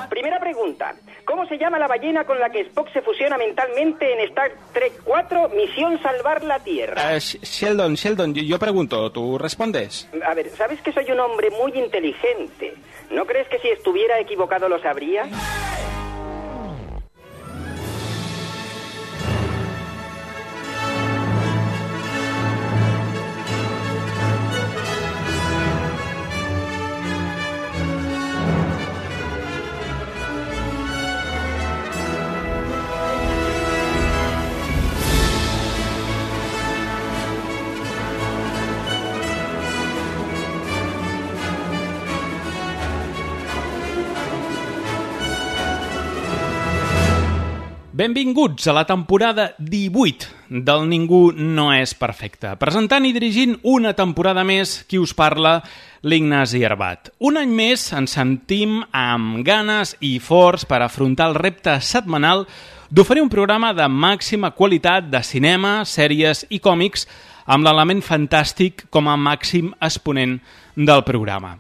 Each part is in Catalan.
Primera pregunta. ¿Cómo se llama la ballena con la que Spock se fusiona mentalmente en Star Trek 4, Misión Salvar la Tierra? Sheldon, yo pregunto, ¿tú respondes? A ver, ¿sabes que soy un hombre muy inteligente? ¿No crees que si estuviera equivocado lo sabría? Benvinguts a la temporada 18 del Ningú no és perfecte. Presentant i dirigint una temporada més, qui us parla, l'Ignasi Arbat. Un any més ens sentim amb ganes i forts per afrontar el repte setmanal d'oferir un programa de màxima qualitat de cinema, sèries i còmics amb l'element fantàstic com a màxim exponent del programa.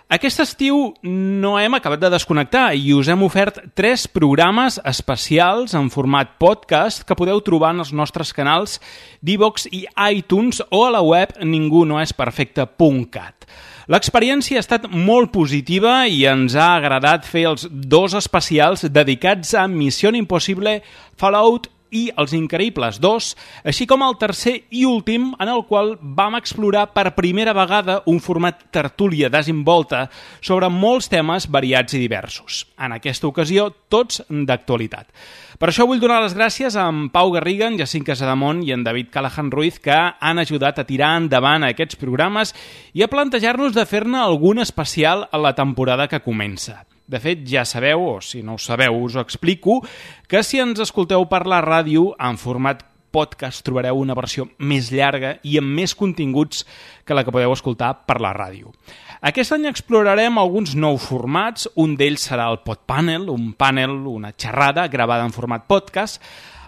Aquest estiu no hem acabat de desconnectar i us hem ofert 3 programes especials en format podcast que podeu trobar en els nostres canals d'Ivox i iTunes o a la web ningunoesperfecte.cat. L'experiència ha estat molt positiva i ens ha agradat fer els 2 especials dedicats a Missió Impossible, Fallout i Els Increïbles 2, així com el tercer i últim en el qual vam explorar per primera vegada un format tertúlia desenvolta sobre molts temes variats i diversos. En aquesta ocasió, tots d'actualitat. Per això vull donar les gràcies a en Pau Garriga, en Jacint Casademont i en David Callahan Ruiz, que han ajudat a tirar endavant aquests programes i a plantejar-nos de fer-ne algun especial a la temporada que comença. De fet, ja sabeu, o si no ho sabeu us ho explico, que si ens escolteu per la ràdio en format podcast trobareu una versió més llarga i amb més continguts que la que podeu escoltar per la ràdio. Aquest any explorarem alguns nous formats, un d'ells serà el Podpanel, un panel, una xerrada gravada en format podcast.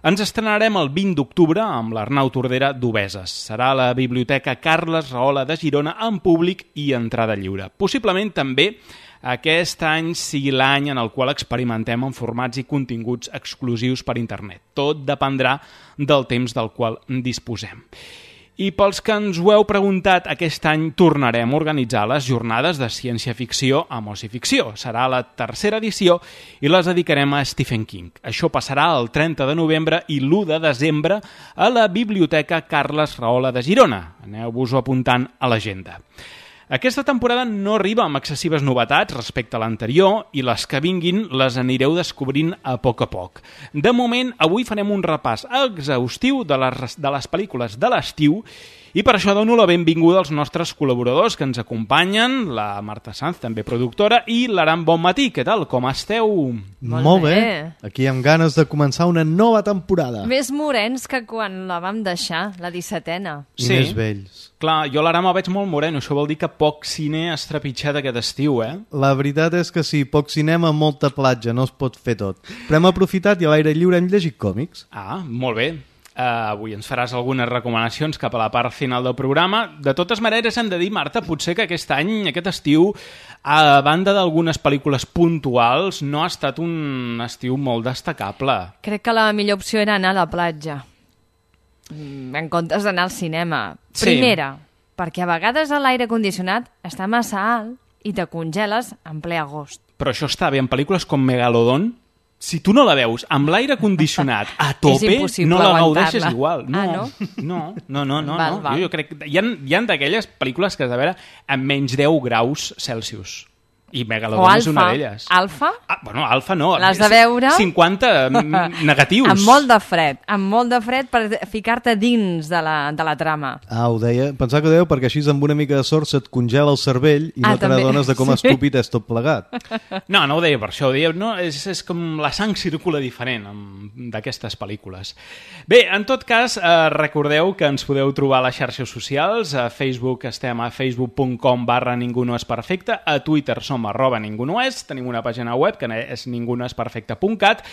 Ens estrenarem el 20 d'octubre amb l'Arnau Tordera d'Obeses. Serà a la Biblioteca Carles Rahola de Girona en públic i entrada lliure. Possiblement també aquest any sigui l'any en el qual experimentem en formats i continguts exclusius per internet. Tot dependrà del temps del qual disposem. I pels que ens ho heu preguntat, aquest any tornarem a organitzar les jornades de ciència-ficció amb ocificció. Serà la tercera edició i les dedicarem a Stephen King. Això passarà el 30 de novembre i l'1 de desembre a la Biblioteca Carles Rahola de Girona. Aneu-vos-ho apuntant a l'agenda. Aquesta temporada no arriba amb excessives novetats respecte a l'anterior i les que vinguin les anireu descobrint a poc. De moment, avui farem un repàs exhaustiu de les pel·lícules de l'estiu i per això dono la benvinguda als nostres col·laboradors que ens acompanyen, la Marta Sanz, també productora, i l'Aran Bonmatí. Què tal? Com esteu? Molt bé. Aquí amb ganes de començar una nova temporada. Més morens que quan la vam deixar, la 17a. I més vells. Clar, jo l'Aran el veig molt moreno, això vol dir que poc cine has trepitjat aquest estiu, eh? La veritat és que sí, poc cinema, molta platja, no es pot fer tot. Però hem aprofitat i a l'aire lliure hem llegit còmics. Ah, molt bé. Avui ens faràs algunes recomanacions cap a la part final del programa. De totes maneres, hem de dir, Marta, potser que aquest any, aquest estiu, a banda d'algunes pel·lícules puntuals, no ha estat un estiu molt destacable. Crec que la millor opció era anar a la platja, en comptes d'anar al cinema. Sí. Primera, perquè a vegades l'aire condicionat està massa alt i te congeles en ple agost. Però això està bé en pel·lícules com Megalodon. Si tu no la veus amb l'aire condicionat a tope, no la gaudeixes igual. No? No. Val. Jo crec que hi ha d'aquelles pel·lícules que has de veure amb menys 10 graus Celsius. I Megalodon és una d'elles. Alfa? Bueno, Alfa no. L'has de veure? 50 negatius. Amb molt de fred per ficar-te dins de la trama. Ho deia. Pensava que ho dèieu perquè així amb una mica de sort se't congela el cervell i no te n'adones de com estúpid és tot plegat. No ho deia per això. Ho deia, no, és com la sang circula diferent d'aquestes pel·lícules. Bé, en tot cas, recordeu que ens podeu trobar a les xarxes socials. A Facebook estem a facebook.com/ningunoesperfecte. A Twitter som som @ningunoes, tenim una pàgina web que és ningunoesperfecte.cat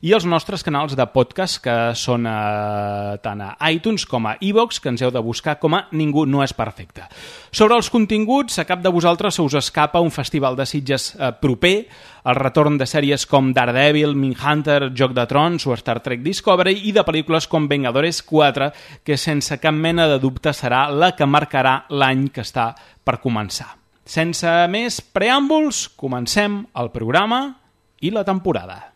i els nostres canals de podcast que són tant a iTunes com a iVoox, que ens heu de buscar com a Ningú no és perfecte. Sobre els continguts, a cap de vosaltres se us escapa un festival de Sitges proper, el retorn de sèries com Daredevil, Mindhunter, Joc de Trons o Star Trek Discovery i de pel·lícules com Vengadores 4, que sense cap mena de dubte serà la que marcarà l'any que està per començar. Sense més preàmbuls, comencem el programa i la temporada.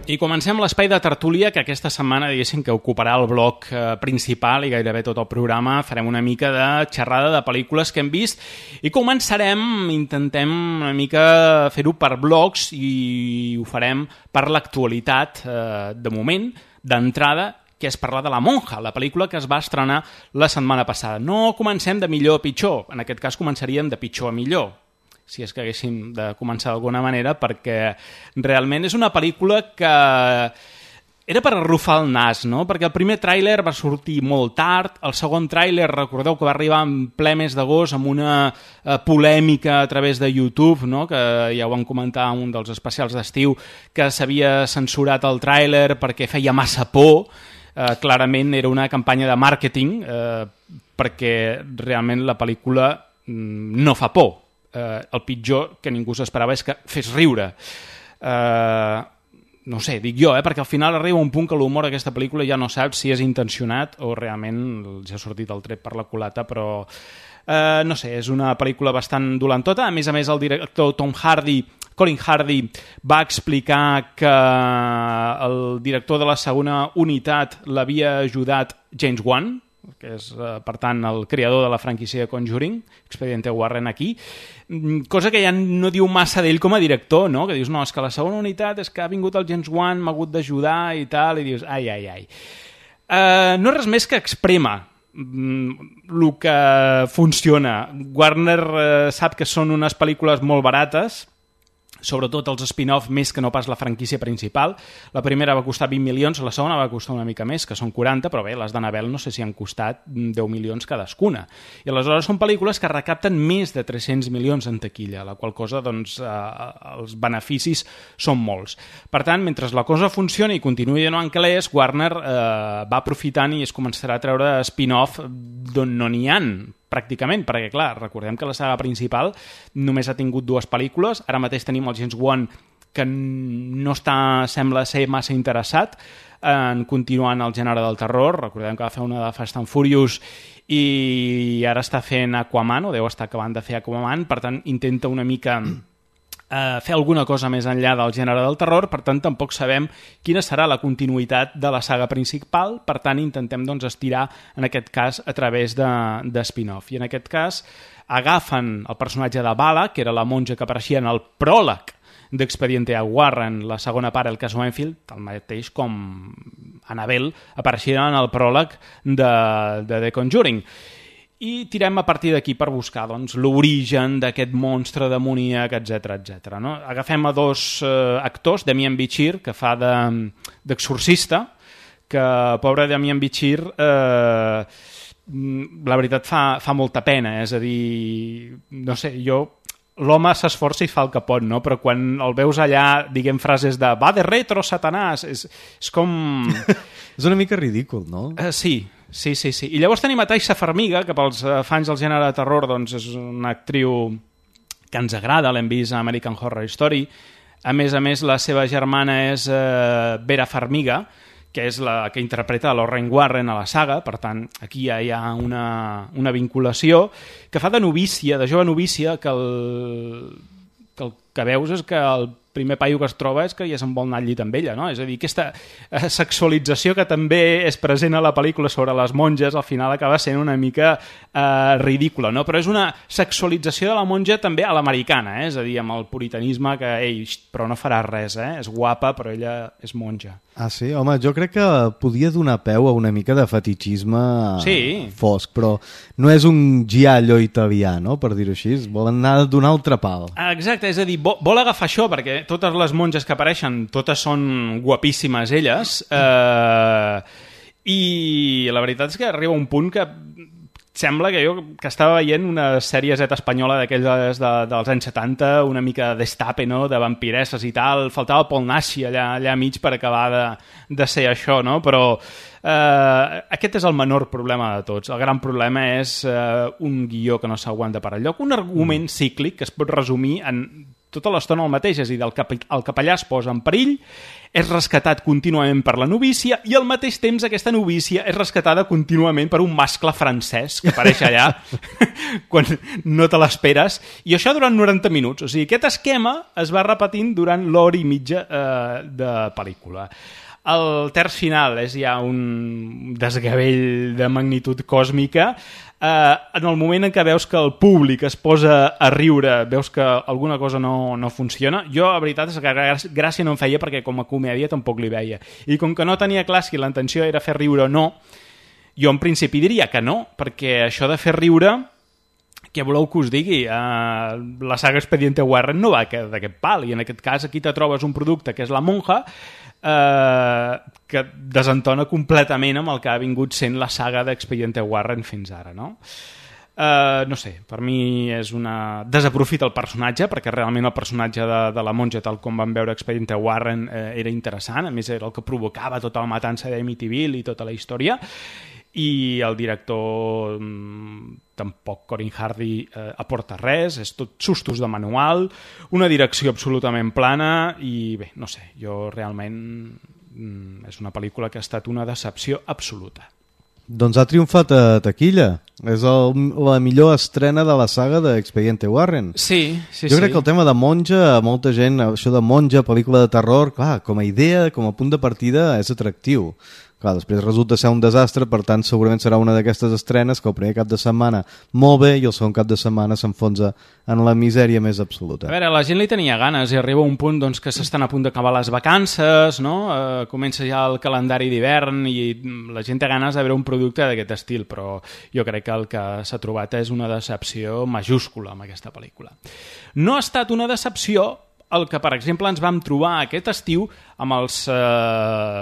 I comencem l'espai de tertúlia, que aquesta setmana, diguéssim, que ocuparà el bloc principal i gairebé tot el programa. Farem una mica de xerrada de pel·lícules que hem vist i intentem una mica fer-ho per blocs i ho farem per l'actualitat, de moment, d'entrada, que és parlar de La Monja, la pel·lícula que es va estrenar la setmana passada. No comencem de millor a pitjor, en aquest cas començaríem de pitjor a millor, si és que haguéssim de començar d'alguna manera, perquè realment és una pel·lícula que era per arrufar el nas, no? Perquè el primer tràiler va sortir molt tard, el segon tràiler, recordeu que va arribar en ple mes d'agost amb una polèmica a través de YouTube, no? Que ja ho vam comentar en un dels especials d'estiu, que s'havia censurat el tràiler perquè feia massa por. Clarament era una campanya de màrqueting, perquè realment la pel·lícula no fa por. El pitjor que ningú s'esperava és que fes riure. No sé, dic jo, perquè al final arriba un punt que l'humor d'aquesta pel·lícula ja no saps si és intencionat o realment ja ha sortit el tret per la culata, però no sé, és una pel·lícula bastant dolentota. A més, el director Colin Hardy va explicar que el director de la segona unitat l'havia ajudat James Wan, que és, per tant, el creador de la franquícia de Conjuring, Expediente Warren aquí, cosa que ja no diu massa d'ell com a director, no? Que dius, no, és que la segona unitat és que ha vingut el James Wan, m'ha hagut d'ajudar i tal, i dius, ai. No és res més que exprema el que funciona. Warner sap que són unes pel·lícules molt barates, sobretot els spin-off més que no pas la franquícia principal. La primera va costar 20 milions, la segona va costar una mica més, que són 40, però bé, les d'Annabelle no sé si han costat 10 milions cadascuna. I aleshores són pel·lícules que recapten més de 300 milions en taquilla, la qual cosa, doncs, els beneficis són molts. Per tant, mentre la cosa funciona i continuï anant calés, Warner va aprofitant i es començarà a treure spin-off d'on no n'hi ha, pràcticament, perquè clar, recordem que la saga principal només ha tingut 2 pel·lícules, ara mateix tenim el James Wan que no sembla ser massa interessat en continuar en el gènere del terror. Recordem que va fer una de Fast and Furious i ara està fent Aquaman, o deu estar acabant de fer Aquaman, per tant intenta una mica fer alguna cosa més enllà del gènere del terror, per tant tampoc sabem quina serà la continuïtat de la saga principal, per tant intentem doncs estirar en aquest cas a través de spin-off, i en aquest cas agafen el personatge de Bala, que era la monja que apareixia en el pròleg d'Expediente Warren, la segona part, el cas Enfield, el mateix com Annabelle apareixia en el pròleg de The Conjuring. I tirem a partir d'aquí per buscar doncs, l'origen d'aquest monstre demoníac, etc. No? Agafem a 2 actors, Damien Bichir, que fa d'exorcista, que pobre Damien Bichir, la veritat fa molta pena, és a dir, no sé, l'home s'esforça i fa el que pot, no? Però quan el veus allà, diguem frases de va de retro, Satanàs, és com... És una mica ridícul, no? Sí. I llavors tenim a Taissa Farmiga, que pels fans del gènere de terror doncs és una actriu que ens agrada, l'hem vist a American Horror Story. A més, la seva germana és Vera Farmiga, que és la que interpreta Lorraine Warren a la saga, per tant, aquí ja hi ha una vinculació, que fa de novícia, de jove novícia, que el que veus és que el primer paio que es troba és que ja se'n vol anar al llit amb ella, no? És a dir, aquesta sexualització que també és present a la pel·lícula sobre les monges al final acaba sent una mica ridícula, no? Però és una sexualització de la monja també a l'americana, és a dir, amb el puritanisme que, ei, però no farà res, és guapa però ella és monja. Ah, sí? Home, jo crec que podia donar peu a una mica de fetichisme fosc, però no és un giallo italià, no?, per dir-ho així, volen anar d'un altre pal. Exacte, és a dir, vol agafar això, perquè totes les monges que apareixen, totes són guapíssimes elles, i la veritat és que arriba un punt que sembla que jo que estava veient una sèrie Z espanyola d'aquelles dels anys 70, una mica d'estape, no?, de vampiresses i tal, faltava Paul Naschy allà mig per acabar de ser això, no?, però aquest és el menor problema de tots. El gran problema és un guió que no s'aguanta per enlloc, un argument cíclic que es pot resumir en tota l'estona el mateix, és a dir, el capellà es posa en perill, és rescatat contínuament per la novícia i al mateix temps aquesta novícia és rescatada contínuament per un mascle francès que apareix allà quan no te l'esperes, i això durant 90 minuts. O sigui, aquest esquema es va repetint durant l'hora i mitja de pel·lícula. El terç final és ja un desgavell de magnitud còsmica. En el moment en què veus que el públic es posa a riure, veus que alguna cosa no funciona, jo la veritat és que gràcia no em feia perquè com a comèdia tampoc li veia. I com que no tenia clar si la intenció era fer riure o no, jo en principi diria que no, perquè això de fer riure, què voleu que us digui? La saga Expediente Warren no va d'aquest pal, i en aquest cas aquí te trobes un producte que és La Monja, que desentona completament amb el que ha vingut sent la saga d'Expediente Warren fins ara, no? No sé, per mi és una... desaprofita el personatge, perquè realment el personatge de la monja, tal com vam veure Expediente Warren, era interessant, a més era el que provocava tota la matança d'Amityville i tota la història, i el director tampoc, Corin Hardy, aporta res, és tot sustos de manual, una direcció absolutament plana i bé, no sé, jo realment és una pel·lícula que ha estat una decepció absoluta. Doncs ha triomfat a taquilla. És la millor estrena de la saga d'Expediente Warren. Sí. Jo crec que el tema de monja, molta gent, això de monja, pel·lícula de terror, clar, com a idea, com a punt de partida, és atractiu. Clar, després resulta ser un desastre, per tant segurament serà una d'aquestes estrenes que el primer cap de setmana molt bé i el segon cap de setmana s'enfonsa en la misèria més absoluta. A veure, la gent li tenia ganes i arriba un punt doncs, que s'estan a punt d'acabar les vacances, no? Comença ja el calendari d'hivern i la gent té ganes de veure un producte d'aquest estil, però jo crec que el que s'ha trobat és una decepció majúscula amb aquesta pel·lícula. No ha estat una decepció el que, per exemple, ens vam trobar aquest estiu amb els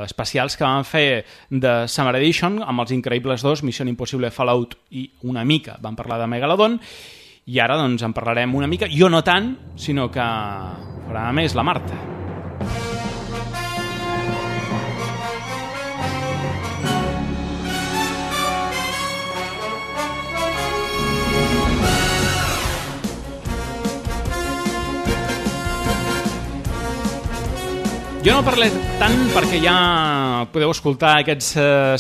especials que vam fer de Summer Edition, amb els Increïbles 2, Missió Impossible Fallout i una mica vam parlar de Megalodon, i ara doncs en parlarem una mica, jo no tant, sinó que farà més la Marta. Jo no parlé tant perquè ja podeu escoltar aquests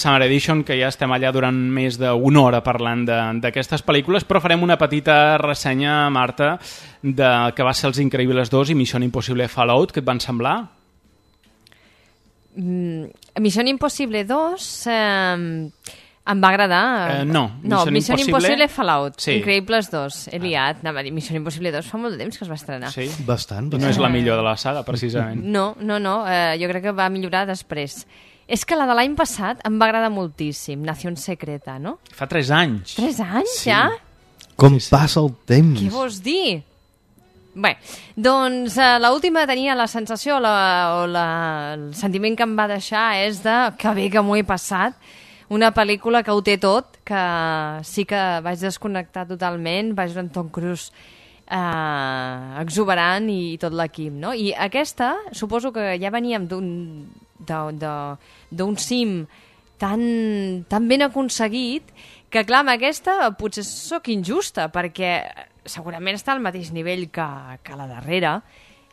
Summer Edition, que ja estem allà durant més d'una hora parlant d'aquestes pel·lícules, però farem una petita ressenya, Marta, de que va ser Els Increïbles 2 i Missió Impossible Fallout. Què et van semblar? Missió Impossible 2... em va agradar. Missió Impossible Fallout, sí. Increïbles 2. He liat, anava a dir Missió Impossible 2 fa molt de temps que es va estrenar. Sí? Bastant. No és la millor de la saga, precisament. No, jo crec que va millorar després. És que la de l'any passat em va agradar moltíssim, Nación Secreta, no? Fa 3 anys. 3 anys, sí. Ja? Com passa el temps? Què vols dir? Bé, doncs l'última tenia la sensació el sentiment que em va deixar és de que bé que m'ho he passat. Una pel·lícula que ho té tot, que sí que vaig desconnectar totalment, vaig veure en Tom Cruise exuberant i tot l'equip, no? I aquesta, suposo que ja veníem d'un cim tan ben aconseguit que, clar, amb aquesta potser sóc injusta, perquè segurament està al mateix nivell que la darrera,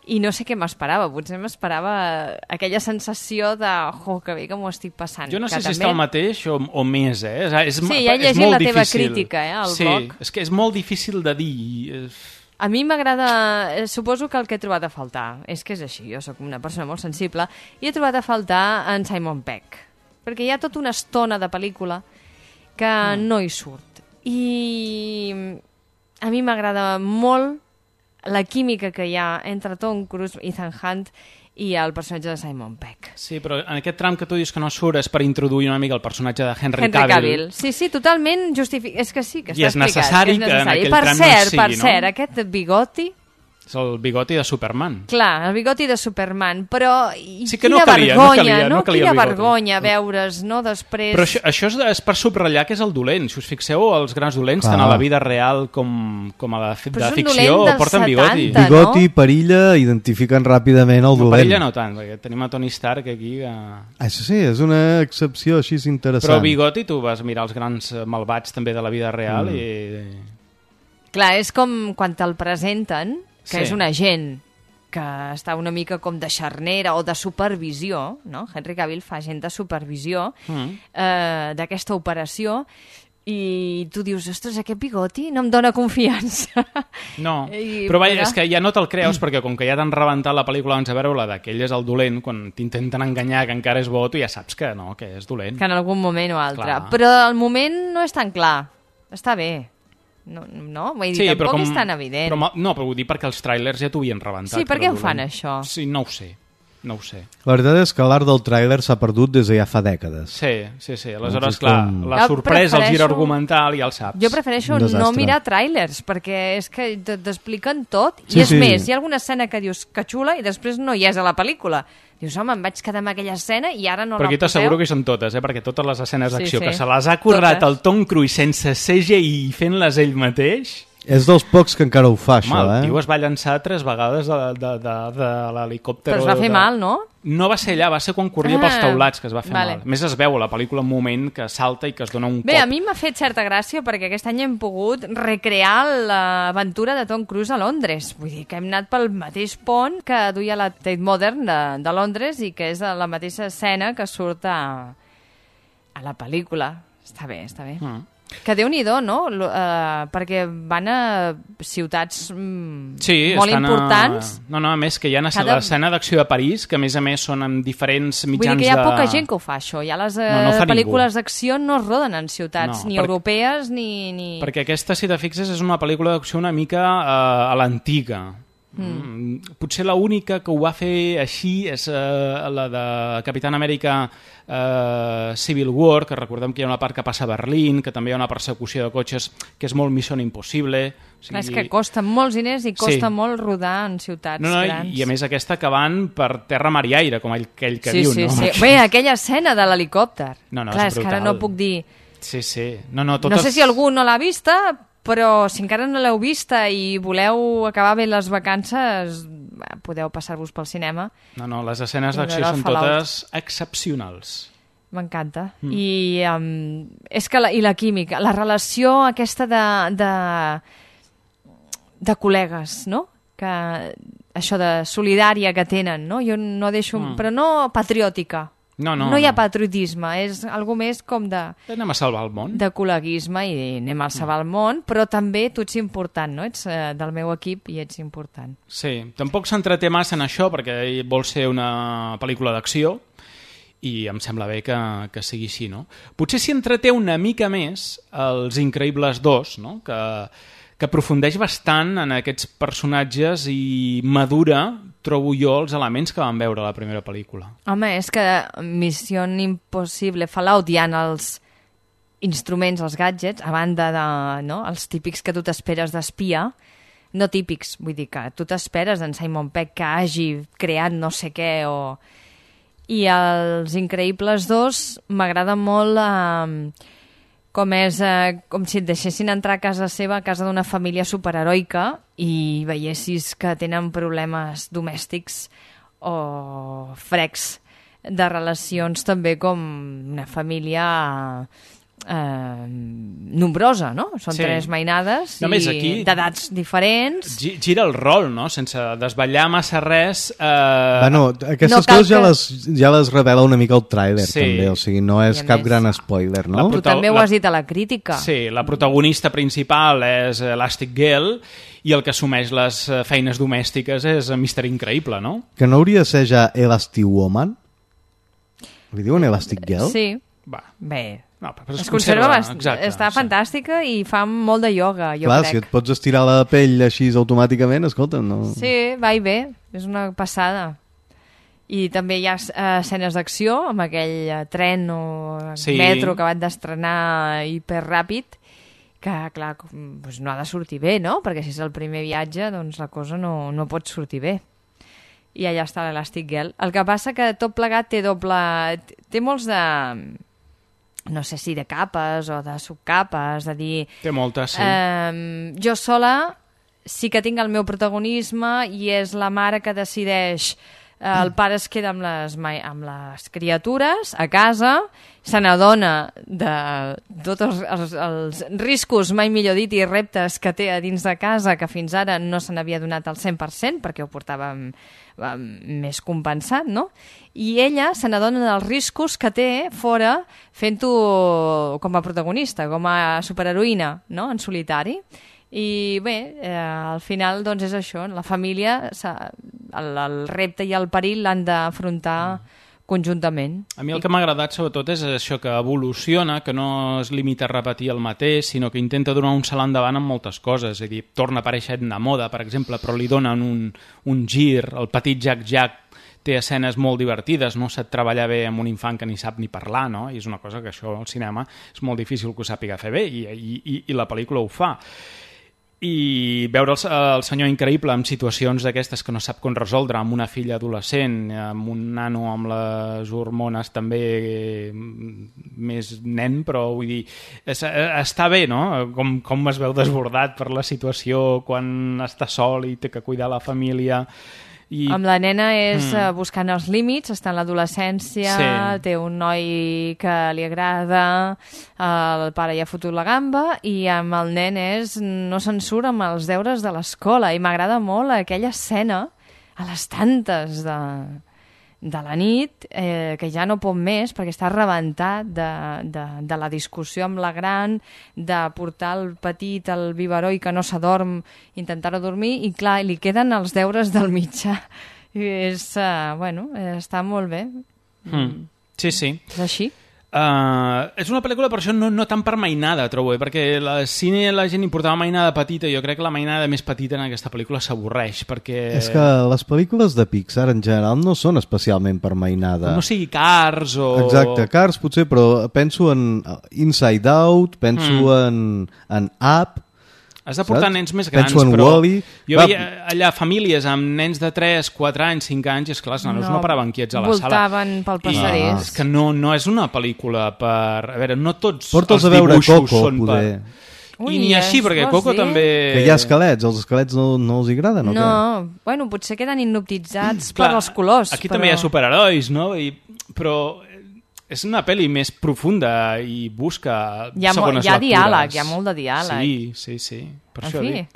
i no sé què m'esperava, potser m'esperava aquella sensació de que bé que m'ho estic passant. Jo no sé si també... està el mateix o més, Sí, ja he llegit la teva crítica, al blog. Sí, és que és molt difícil de dir. A mi m'agrada... Suposo que el que he trobat a faltar és que és així, jo sóc una persona molt sensible, i he trobat a faltar en Simon Pegg, perquè hi ha tota una estona de pel·lícula que no hi surt. I a mi m'agrada molt la química que hi ha entre Tom Cruise, Ethan Hunt i el personatge de Simon Pegg. Sí, però en aquest tram que tu dius que no surt és per introduir una mica el personatge de Henry Cavill. Sí, totalment justificat. És que sí, que està explicat. I és necessari que en aquell tram no sigui, no? Per cert, aquest bigoti... És el bigoti de Superman. Clar, el bigoti de Superman, però sí que no calia quina vergonya veure's, no, després... Però això és per subratllar que és el dolent. Si us fixeu, els grans dolents, tant a la vida real com a la de ficció, porten bigoti. Bigoti, perilla, identifiquen ràpidament el dolent. Perilla no tant, perquè tenim a Tony Stark aquí que... Això sí, és una excepció així interessant. Però bigoti, tu vas mirar els grans malvats també de la vida real i... Clar, és com quan te'l presenten, que sí. És un agent que està una mica com de xarnera o de supervisió, no? Henry Cavill fa agent de supervisió d'aquesta operació i tu dius, ostres, aquest bigoti no em dóna confiança. No, però vaja, és que ja no te'l creus perquè com que ja t'han rebentat la pel·lícula abans de veure-la d'aquell és el dolent, quan t'intenten enganyar que encara és bo, tu ja saps que no, que és dolent. Que en algun moment o altre. Clar. Però al moment no és tan clar. Està bé. No? Vull dir, sí, tampoc és tan evident. No, però vull dir perquè els tràilers ja t'ho havien rebentat. Sí, per què ho fan, això? Sí, no ho sé. La veritat és que l'art del tràiler s'ha perdut des de ja fa dècades. Sí. Aleshores, clar, la sorpresa, el gir argumental ja el saps. Jo prefereixo no mirar tràilers, perquè és que t'expliquen tot. I és més, hi ha alguna escena que dius que xula i després no hi és a la pel·lícula. Dius, home, em vaig quedar amb aquella escena i ara no la poseu. Però aquí t'asseguro que hi són totes, perquè totes les escenes d'acció que se les ha currat el Tom Cruise sense CGI i fent-les ell mateix... És dels pocs que encara ho fa, això, el tio es va llançar 3 vegades de l'helicòpter. Però es va fer mal, no? No va ser allà, va ser quan corria pels taulats que es va fer mal. A més es veu a la pel·lícula un moment que salta i que es dona un cop. Bé, a mi m'ha fet certa gràcia perquè aquest any hem pogut recrear l'aventura de Tom Cruise a Londres. Vull dir que hem anat pel mateix pont que duia la Tate Modern de Londres i que és la mateixa escena que surt a la pel·lícula. Està bé. Que Déu-n'hi-do, no? Perquè van a ciutats molt importants. No, a més que hi ha l'escena d'acció de París, que a més són en diferents mitjans de... Vull dir que hi ha poca gent que ho fa, això. Ja les pel·lícules d'acció no es roden en ciutats ni europees ni... Perquè aquesta, si te fixes, és una pel·lícula d'acció una mica a l'antiga. Potser l'única que ho va fer així és la de Capitán Amèrica Civil War, que recordem que hi ha una part que passa a Berlín, que també hi ha una persecució de cotxes que és molt Mission Impossible. És que costa molts diners i costa molt rodar en ciutats grans. I a més aquesta que van per terra, mar i aire, com aquell que diu. Sí. Bé, aquella escena de l'helicòpter. Clar, és que ara no puc dir... Sí. No sé si algú no l'ha vista, però si encara no l'heu vista i voleu acabar bé les vacances, podeu passar-vos pel cinema. No, les escenes d'acció són totes excepcionals. M'encanta. I és que la química, la relació aquesta de col·legues, no? Que això de solidària que tenen, no? Jo no deixo... Però no patriòtica. No hi ha patriotisme, és algo més com de... Anem a salvar el món. De col·leguisme i anem a salvar el món, però també tu ets important, no? Ets del meu equip i ets important. Sí, tampoc s'entreté massa en això perquè vol ser una pel·lícula d'acció i em sembla bé que sigui així, no? Potser s'hi entreté una mica més els Increïbles 2, no? Que aprofundeix bastant en aquests personatges i madura, trobo jo, els elements que vam veure a la primera pel·lícula. Home, és que Missió Impossible, Fallout, hi ha els instruments, els gadgets, a banda de els típics que tu t'esperes d'espia, no típics, vull dir que tu t'esperes d'en Simon Pegg que hagi creat no sé què I els Increïbles 2 m'agrada molt... com si et deixessin entrar a casa seva, a casa d'una família superheroica i veiessis que tenen problemes domèstics o frecs de relacions també com una família nombrosa, no? Són Sí. 3 mainades Només i aquí- d'edats diferents. Gira el rol, no? Sense desvetllar massa res. Bueno, aquestes no cal coses ja les revela una mica el tràiler, Sí. també, o sigui, no és I a cap més, gran spoiler, no? Tu també ho has dit a la crítica. Sí, la protagonista principal és Elastic Girl i el que assumeix les feines domèstiques és Mr. Increïble, no? Que no hauria de ser ja Elastic Woman? Li diuen Elastic Girl? Sí, Va. bé. No, però Es conserva, exacte, està sí. fantàstica i fa molt de ioga, jo Clar, si crec. et pots estirar la pell així automàticament, escolta, no... Sí, va i ve, és una passada. I també hi ha escenes d'acció amb aquell tren o Sí. metro que van d'estrenar hiperràpid, que, clar, doncs no ha de sortir bé, no? Perquè si és el primer viatge, doncs la cosa no pot sortir bé. I allà està l'Elastic Girl. El que passa que tot plegat té molts de... no sé si de capes o de subcapes, de dir... Té moltes, sí. Jo sola sí que tinc el meu protagonisme i és la mare que decideix. El pare es queda amb les criatures a casa, se n'adona de tots els riscos, mai millor dit, i reptes que té a dins de casa, que fins ara no se n'havia donat al 100% perquè ho portava més compensat, no? I ella se n'adona dels riscos que té fora fent-ho com a protagonista, com a superheroïna, no?, en solitari. I bé, al final doncs és això, la família, el repte i el perill l'han d'afrontar conjuntament. A mi el que m'ha agradat sobretot és això, que evoluciona, que no es limita a repetir el mateix, sinó que intenta donar un salt endavant en moltes coses. És a dir, torna a aparèixer Edna Moda, per exemple, però li donen un gir. El petit Jack té escenes molt divertides, no sap treballar bé amb un infant que ni sap ni parlar, no? I és una cosa que això al cinema és molt difícil que ho sàpiga fer bé, i la pel·lícula ho fa. I veure el senyor Increïble en situacions d'aquestes que no sap com resoldre, amb una filla adolescent, amb un nano amb les hormones també més nen, però vull dir, està bé, no? Com es veu desbordat per la situació quan està sol i té que cuidar la família. Amb la nena és buscant els límits, està en l'adolescència, Sí. té un noi que li agrada, el pare ja ha fotut la gamba, i amb el nen no se'n surt amb els deures de l'escola, i m'agrada molt aquella escena a les tantes de la nit, que ja no pot més perquè està rebentat de la discussió amb la gran, de portar el petit al biberó i que no s'adorm, intentar-ho dormir, i clar, li queden els deures del mitjà. I està molt bé. Sí, sí. És així. És una pel·lícula, per això, no tan per mainada, trobo, perquè al cine la gent hi portava mainada petita, jo crec que la mainada més petita en aquesta pel·lícula s'avorreix, perquè... És que les pel·lícules de Pixar en general no són especialment per mainada. No sigui Cars o... Exacte, Cars potser, però penso en Inside Out, penso en Up. Has de portar saps? nens més grans, Penso en però Wall-E. jo veia allà famílies amb nens de 3, 4 anys, 5 anys, i esclar, els nanos no paraven quiets a la sala. Voltaven pel passadís. És que no és una pel·lícula per... A veure, no tots Porta'ls els a veure dibuixos Coco, són poder. Ui, I ni així, perquè vols Coco dir? també... Que hi ha esquelets, els esquelets no els agraden, o què? No, bueno, potser queden hipnotitzats per els colors. Aquí també hi ha superherois, no? Però és una pel·li més profunda i busca segones lectures. Hi ha diàleg, hi ha molt de diàleg. Sí. Per En això fi, dic.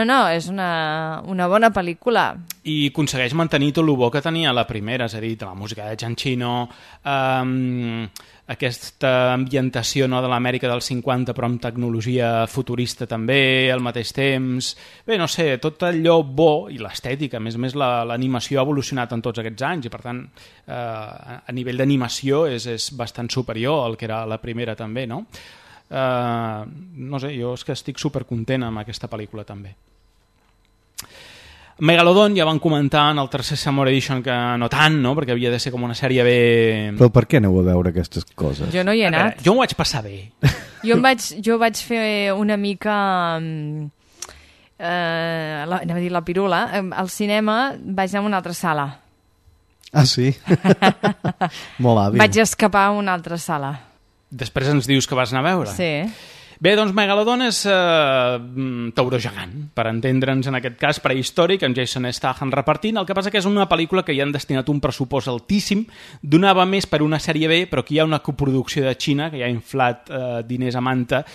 no, és una bona pel·lícula. I aconsegueix mantenir tot el bo que tenia la primera, és a dir, la música de Giacchino, aquesta ambientació, no, de l'Amèrica dels 50 però amb tecnologia futurista també al mateix temps. Bé, no sé, tot allò bo i l'estètica, a més l'animació ha evolucionat en tots aquests anys i per tant a nivell d'animació és bastant superior al que era la primera també, no? No sé, jo és que estic supercontent amb aquesta pel·lícula també. Megalodon ja van comentar en el tercer Summer Edition que no tant, no? Perquè havia de ser com una sèrie bé... Però per què aneu a veure aquestes coses? Jo no hi he anat. Jo m'ho vaig passar bé. Jo vaig fer una mica... anava a dir la pirula. Al cinema vaig anar a una altra sala. Ah, sí? Molt hàbil. Vaig escapar a una altra sala. Després ens dius que vas anar a veure. Sí. Bé, doncs Megalodon és tauró gegant, per entendre'ns en aquest cas prehistòric, amb Jason Statham repartint. El que passa que és una pel·lícula que hi han destinat un pressupost altíssim, donava més per una sèrie B, però aquí hi ha una coproducció de Xina que hi ha inflat diners a manta,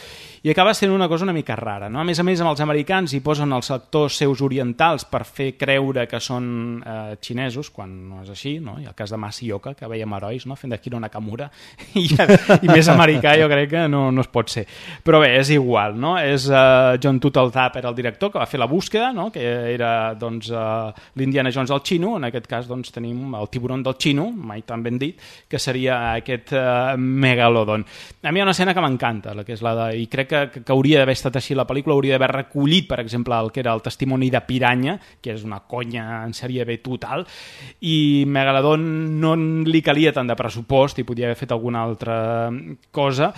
i acaba sent una cosa una mica rara, no? A més, amb els americans hi posen els actors seus orientals per fer creure que són xinesos, quan no és així, no? Hi ha el cas de Masioka, que veiem herois, no? Fent d'Akira Nakamura, i més americà jo crec que no es pot ser. Però bé, és igual, no? És John Turteltaub era el director, que va fer La búsqueda, no? Que era doncs, l'Indiana Jones del xino. En aquest cas doncs, tenim el tiburon del xino, mai tan ben dit, que seria aquest Megalodon. A mi hi ha una escena que m'encanta, la que és la de... I crec que hauria d'haver estat així la pel·lícula, hauria d'haver recollit, per exemple, el que era el testimoni de Piranya, que és una conya en sèrie B total, i Megalodon no li calia tant de pressupost i podia haver fet alguna altra cosa.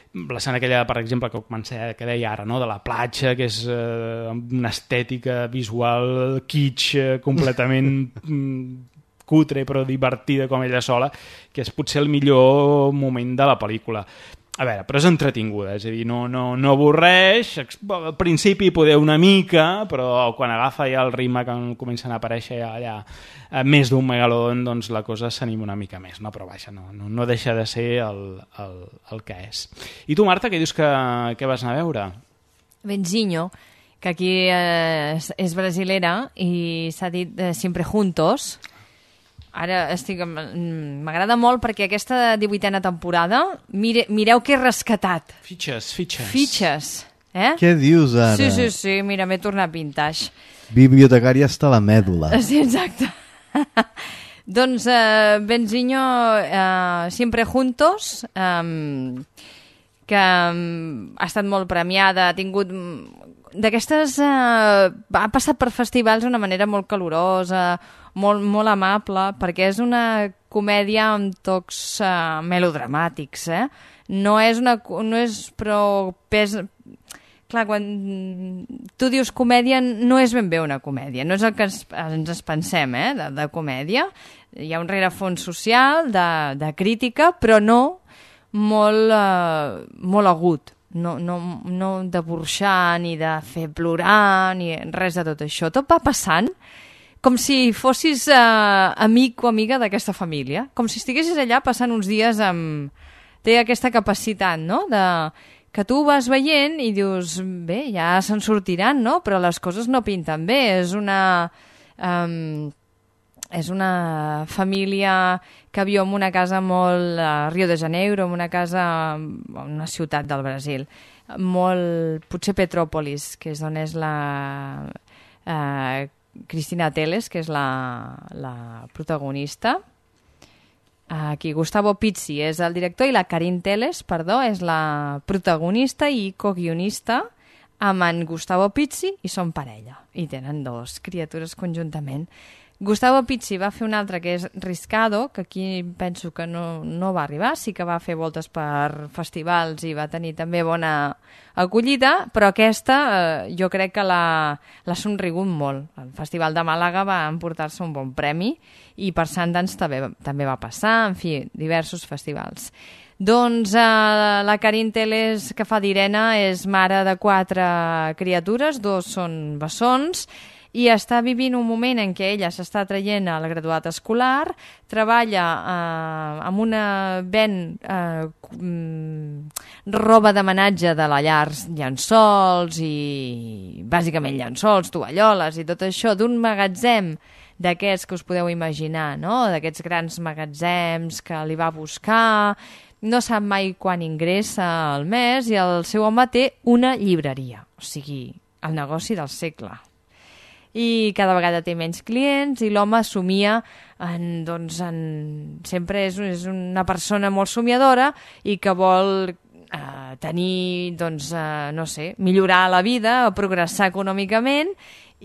L'escena aquella, per exemple, que deia ara, no? De la platja, que és una estètica visual kitsch, completament cutre però divertida com ella sola, que és potser el millor moment de la pel·lícula. A veure, però és entretinguda, és a dir, no avorreix, al principi poder una mica, però quan agafa ja el ritme que comencen a aparèixer allà més d'un Megalodon, doncs la cosa s'anima una mica més, no? Però vaja, no deixa de ser el que és. I tu, Marta, què dius que vas anar a veure? Benzinho, que aquí és brasilera i s'ha dit Siempre Juntos. Ara m'agrada molt perquè aquesta 18a temporada, mireu que he rescatat. Fitxes. Què dius ara? Sí, mira, m'he tornat vintage. Bibliotecària hasta la mèdula. Sí, exacte. Doncs Benzinho, Siempre Juntos, que ha estat molt premiada, ha tingut... D'aquestes ha passat per festivals d'una manera molt calorosa, molt amable, perquè és una comèdia amb tocs melodramàtics, No és prou pes... Clar, quan tu dius comèdia, no és ben bé una comèdia, no és el que ens pensem, de comèdia. Hi ha un rerefons social, de crítica, però no molt agut. No de burxar, ni de fer plorar, ni res de tot això. Tot va passant com si fossis amic o amiga d'aquesta família, com si estiguessis allà passant uns dies amb... Té aquesta capacitat, no?, que tu vas veient i dius, bé, ja se'n sortiran, no?, però les coses no pinten bé. És una família que viu en una casa molt a Rio de Janeiro, en una ciutat del Brasil, molt, potser Petrópolis, que és on és la Cristina Teles, que és la protagonista. Aquí Gustavo Pizzi és el director i la Karin Teles, és la protagonista i coguionista amb en Gustavo Pizzi, i són parella, i tenen 2 criatures conjuntament. Gustavo Pizzi va fer un altre que és Riscado, que aquí penso que no va arribar, sí que va fer voltes per festivals i va tenir també bona acollida, però aquesta jo crec que l'ha somrigut molt. El Festival de Màlaga va emportar-se un bon premi i per Sundance també va passar, en fi, diversos festivals. Doncs la Karin Teles, que fa d'Irene, és mare de 4 criatures, 2 són bessons, i està vivint un moment en què ella s'està traient el graduat escolar, treballa amb una roba d'homenatge de la llar, llençols i bàsicament llençols, tovalloles i tot això, d'un magatzem d'aquests que us podeu imaginar, no?, d'aquests grans magatzems que li va buscar, no sap mai quan ingressa al mes, i el seu home té una llibreria, o sigui, el negoci del segle. I cada vegada té menys clients i l'home somia sempre és una persona molt somiadora i que vol tenir, no sé, millorar la vida, progressar econòmicament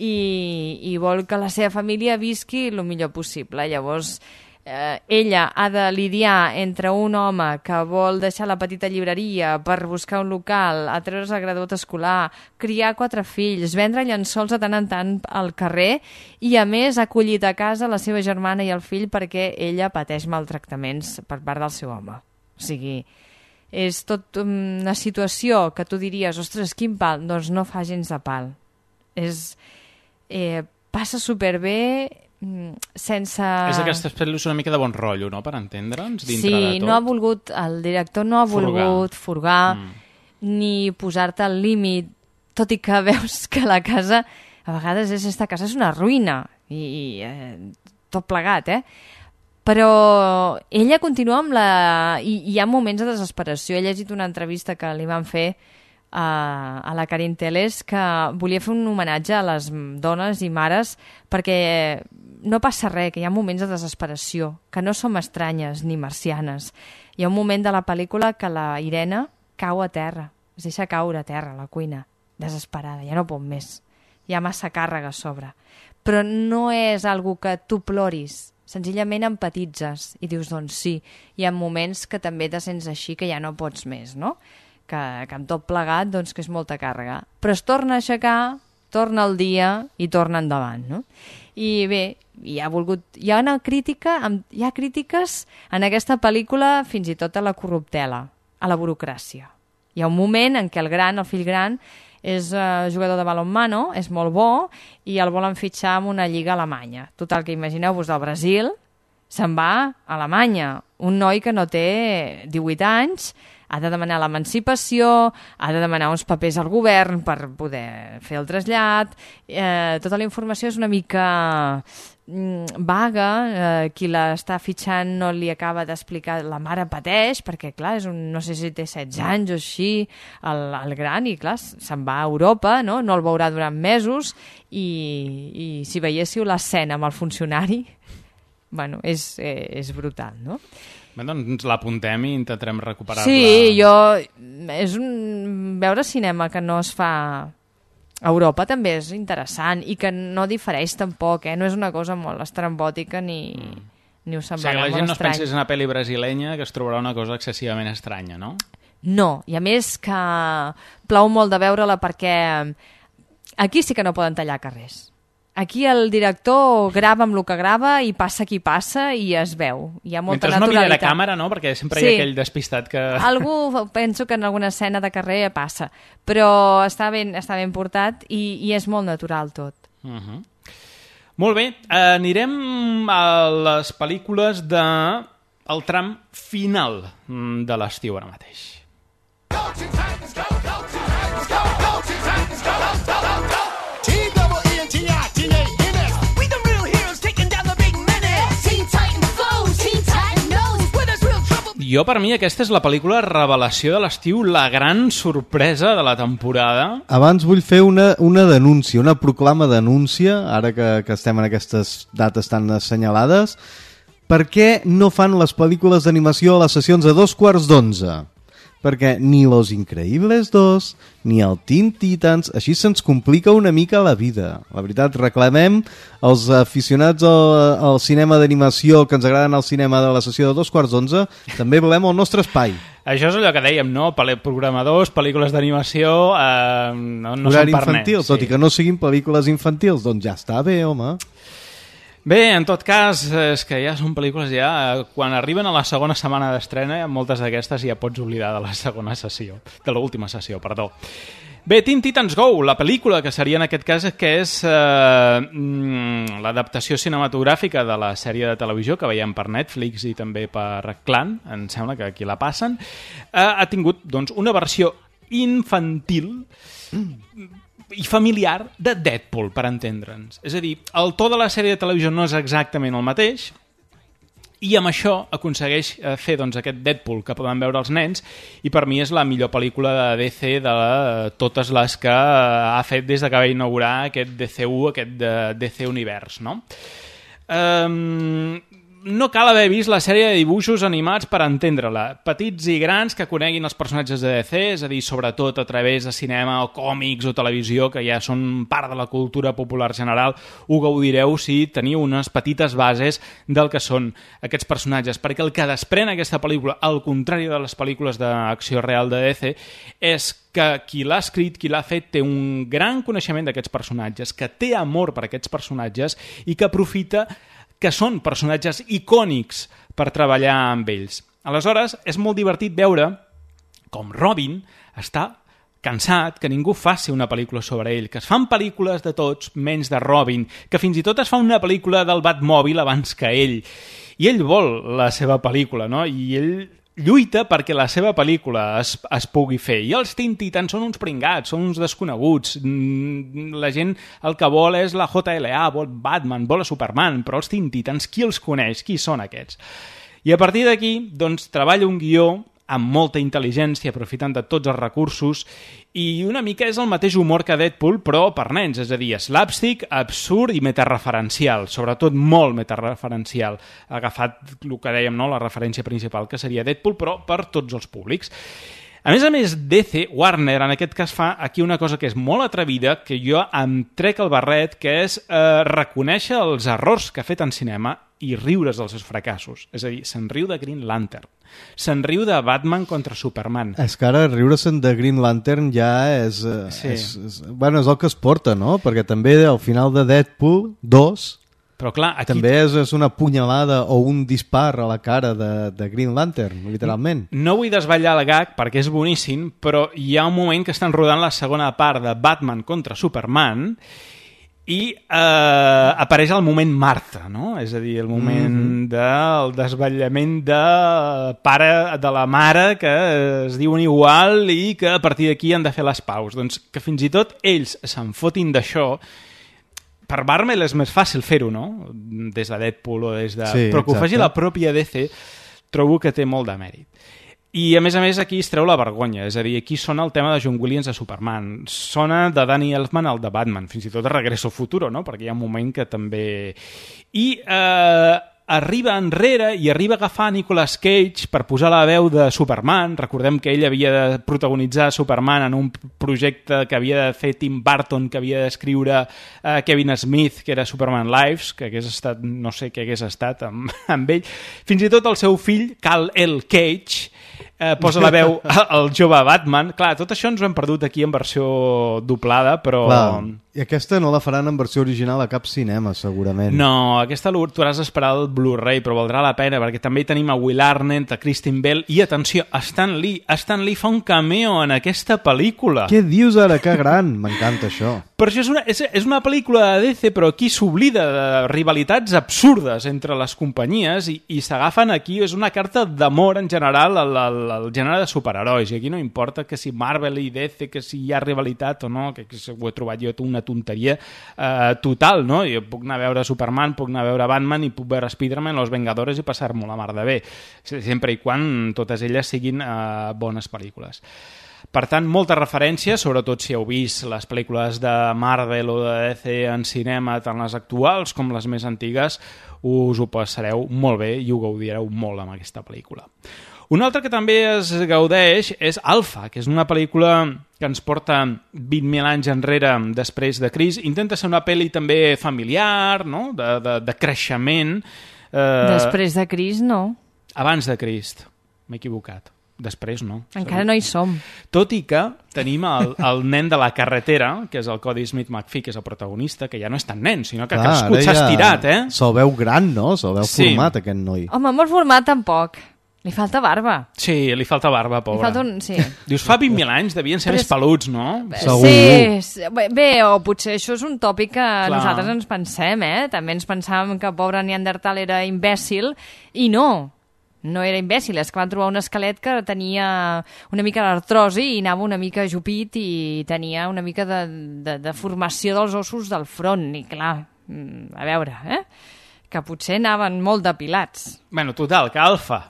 i vol que la seva família visqui el millor possible. Llavors ella ha de lidiar entre un home que vol deixar la petita llibreria per buscar un local, a treure's el graduat escolar, criar 4 fills, vendre llençols de tant en tant al carrer i, a més, ha acollit a casa la seva germana i el fill perquè ella pateix maltractaments per part del seu home. O sigui, És tot una situació que tu diries, ostres, quin pal, doncs no fa gens de pal. Passa superbé sense... És d'aquestes pel·lícules una mica de bon rotllo, no?, per entendre'ns, dintre de tot. Sí, no ha volgut, el director no ha volgut furgar ni posar-te al límit, tot i que veus que la casa, a vegades aquesta casa és una ruïna, i tot plegat, Però ella continua amb la... I hi ha moments de desesperació. He llegit una entrevista que li van fer a la Karin Teles, que volia fer un homenatge a les dones i mares perquè no passa res, que hi ha moments de desesperació, que no som estranyes ni marcianes. Hi ha un moment de la pel·lícula que la Irene cau a terra, es deixa caure a terra a la cuina, desesperada, ja no pot més. Hi ha massa càrrega a sobre. Però no és algo que tu ploris, senzillament empatitzes i dius, doncs sí, hi ha moments que també te sents així, que ja no pots més, no? Que amb tot plegat, doncs que és molta càrrega. Però es torna a aixecar, torna al dia i torna endavant, no? I bé, hi ha crítiques en aquesta pel·lícula fins i tot a la corruptela, a la burocràcia. Hi ha un moment en què el fill gran, és jugador de balonmano, és molt bo, i el volen fitxar en una lliga alemanya. Total, que imagineu-vos, del Brasil se'n va a Alemanya. Un noi que no té 18 anys, ha de demanar l'emancipació, ha de demanar uns papers al govern per poder fer el trasllat. Tota la informació és una mica vaga, qui l'està fitxant no li acaba d'explicar, la mare pateix, perquè clar, no sé si té 16 anys o així, el gran, i clar, se'n va a Europa, no el veurà durant mesos, i si veiéssiu l'escena amb el funcionari, bueno, és brutal, no? Bé, doncs l'apuntem i intentarem recuperar-la. Sí, és veure cinema que no es fa a Europa també és interessant i que no difereix tampoc, no és una cosa molt estrambòtica ni us semblarà molt estrany. O sigui, la gent no es pensi en una pel·li brasilenya que es trobarà una cosa excessivament estranya, no? No, i a més que plau molt de veure-la perquè aquí sí que no poden tallar carrers. Aquí el director grava amb el que grava i passa qui passa i es veu. Hi ha molta mentre naturalitat. No mira a càmera, no? Perquè sempre hi ha aquell despistat que... Algú penso que en alguna escena de carrer passa, però està ben portat i és molt natural tot. Molt bé, anirem a les pel·lícules del tram final de l'estiu ara mateix. Jo, per mi, aquesta és la pel·lícula revelació de l'estiu, la gran sorpresa de la temporada. Abans vull fer una denúncia, una proclama denúncia, ara que estem en aquestes dates tan assenyalades. Per què no fan les pel·lícules d'animació a les sessions a 11:15? Perquè ni Los Increíbles 2, ni el Teen Titans, així se'ns complica una mica la vida. La veritat, reclamem els aficionats al cinema d'animació que ens agraden al cinema de la sessió de 11:15, també volem el nostre espai. Això és allò que dèiem, no? Programadors, pel·lícules d'animació, no són per infantil, nens. Tot i que no siguin pel·lícules infantils, doncs ja està bé, home. Bé, en tot cas, és que ja són pel·lícules quan arriben a la segona setmana d'estrena, moltes d'aquestes ja pots oblidar de la segona sessió, de l'última sessió, perdó. Bé, Teen Titans Go, la pel·lícula que seria en aquest cas que és l'adaptació cinematogràfica de la sèrie de televisió que veiem per Netflix i també per Clan, em sembla que aquí la passen, ha tingut doncs, una versió infantil i familiar de Deadpool, per entendre'ns. És a dir, el to de la sèrie de televisió no és exactament el mateix i amb això aconsegueix fer doncs, aquest Deadpool que poden veure els nens i per mi és la millor pel·lícula de DC de totes les que ha fet des que va inaugurar aquest DCU, aquest DC Univers, no? No cal haver vist la sèrie de dibuixos animats per entendre-la. Petits i grans que coneguin els personatges de DC, és a dir, sobretot a través de cinema o còmics o televisió, que ja són part de la cultura popular general, ho gaudireu si teniu unes petites bases del que són aquests personatges. Perquè el que desprèn aquesta pel·lícula, al contrari de les pel·lícules d'acció real de DC, és que qui l'ha escrit, qui l'ha fet, té un gran coneixement d'aquests personatges, que té amor per aquests personatges i que aprofita que són personatges icònics per treballar amb ells. Aleshores, és molt divertit veure com Robin, està cansat que ningú faci una pel·lícula sobre ell, que es fan pel·lícules de tots menys de Robin, que fins i tot es fa una pel·lícula del Batmòbil abans que ell. I ell vol la seva pel·lícula, no? I ell lluita perquè la seva pel·lícula es pugui fer. I els Teen Titans són uns pringats, són uns desconeguts. La gent el que vol és la JLA, vol Batman, vol a Superman, però els Teen Titans, qui els coneix? Qui són aquests? I a partir d'aquí, doncs, treballa un guió amb molta intel·ligència, aprofitant de tots els recursos, i una mica és el mateix humor que Deadpool, però per nens, és a dir, slapstick, absurd i metareferencial, sobretot molt metareferencial, agafat el que dèiem, no?, la referència principal, que seria Deadpool, però per tots els públics. A més, DC, Warner, en aquest cas, fa aquí una cosa que és molt atrevida, que jo em trec el barret, que és reconèixer els errors que ha fet en cinema i riure's dels seus fracassos. És a dir, se'n riu de Green Lantern, se'n riu de Batman contra Superman. És que ara riure-se'n de Green Lantern ja és bueno, és el que es porta, no? Perquè també al final de Deadpool 2 però clar, aquí també és una punyalada o un dispar a la cara de Green Lantern, literalment. No vull desvetllar el gag perquè és boníssim, però hi ha un moment que estan rodant la segona part de Batman contra Superman i apareix el moment Marta, no? És a dir, el moment del desvetllament de pare de la mare que es diuen igual i que a partir d'aquí han de fer les paus. Doncs que fins i tot ells se'n fotin d'això. Per Marvel és més fàcil fer-ho, no? Des de Deadpool o des de... Sí, però que ho faci exacte. la pròpia DC trobo que té molt de mèrit. I, a més, aquí es treu la vergonya. És a dir, aquí sona el tema de John Williams de Superman. Sona de Danny Elfman al de Batman. Fins i tot de Regreso al Futuro, no? Perquè hi ha un moment que també... I arriba enrere i arriba a agafar Nicolas Cage per posar la veu de Superman. Recordem que ell havia de protagonitzar Superman en un projecte que havia de fer Tim Burton, que havia d'escriure Kevin Smith, que era Superman Lives, que hagués estat, no sé què hagués estat amb ell. Fins i tot el seu fill, Kal El Cage, posa la veu al jove Batman. Clar, tot això ens ho hem perdut aquí en versió doblada, però... Clar. I aquesta no la faran en versió original a cap cinema, segurament. No, aquesta tu has d'esperar el Blu-ray, però valdrà la pena, perquè també hi tenim a Will Arnett, a Kristen Bell, i atenció, Stan Lee. Stan Lee fa un cameo en aquesta pel·lícula. Què dius ara? Que gran! M'encanta això. Per això és una pel·lícula de DC, però aquí s'oblida de rivalitats absurdes entre les companyies i s'agafen aquí, és una carta d'amor en general al gènere de superherois, i aquí no importa que si Marvel i DC, que si hi ha rivalitat o no, que ho he trobat jo una tonteria total, no? Jo puc anar a veure Superman, puc anar a veure Batman i puc veure Spider-Man, Los Vengadores i passar-m'ho la mar de bé, sempre i quan totes elles siguin bones pel·lícules. Per tant, molta referència, sobretot si heu vist les pel·lícules de Marvel o de DC en cinema, tant les actuals com les més antigues, us ho passareu molt bé i ho gaudireu molt amb aquesta pel·lícula. Una altra que també es gaudeix és Alpha, que és una pel·lícula que ens porta 20.000 anys enrere després de Crist. Intenta ser una pel·li també familiar, no? de creixement. Després de Crist, no. Abans de Crist, m'he equivocat. Després no. Encara no hi som. Tot i que tenim el nen de la carretera, que és el Cody Smith McPhee, que és el protagonista, que ja no és tan nen, sinó que ha crescut, s'ha estirat, eh? Se'l veu gran, no? Se'l veu format, aquest noi. Home, molt format tampoc. Li falta barba. Sí, li falta barba, pobre. Sí. Dius, fa 20.000 anys devien ser més peluts, no? Sí, bé, o potser això és un tòpic que nosaltres ens pensem, eh? També ens pensàvem que pobre Neandertal era imbècil, i no era imbècil, és que van trobar un esquelet que tenia una mica d'artrosi i anava una mica ajupit i tenia una mica de formació dels ossos del front, i clar, a veure, que potser anaven molt depilats. Bueno, total, que Alpha.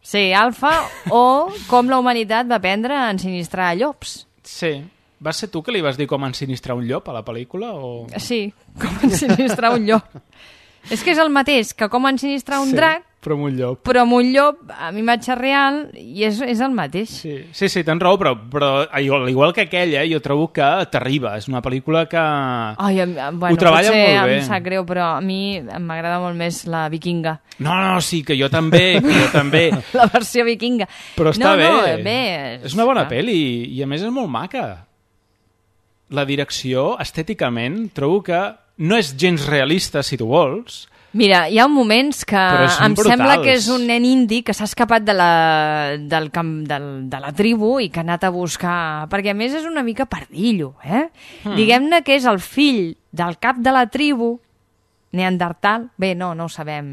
Sí, Alpha, o com la humanitat va aprendre a ensinistrar llops. Sí. Vas ser tu que li vas dir com ensinistrar un llop a la pel·lícula? O... Sí, com ensinistrar un llop. És que és el mateix que com ensinistrar un drac, però amb un llop. Però amb un llop, amb imatge real, i és el mateix. Sí, tens raó, però igual que aquella, jo trobo que t'arriba. És una pel·lícula que ho treballa molt bé. Em sap greu, però a mi m'agrada molt més la vikinga. No, sí, que jo també. La versió vikinga. Però està bé. És una bona pel·li, i a més és molt maca. La direcció, estèticament, trobo que no és gens realista, si tu vols, Mira, hi ha moments que em sembla que és un nen indi que s'ha escapat de la tribu i que ha anat a buscar... Perquè, a més, és una mica pardillo, eh? Diguem-ne que és el fill del cap de la tribu, Neandertal. Bé, no ho sabem.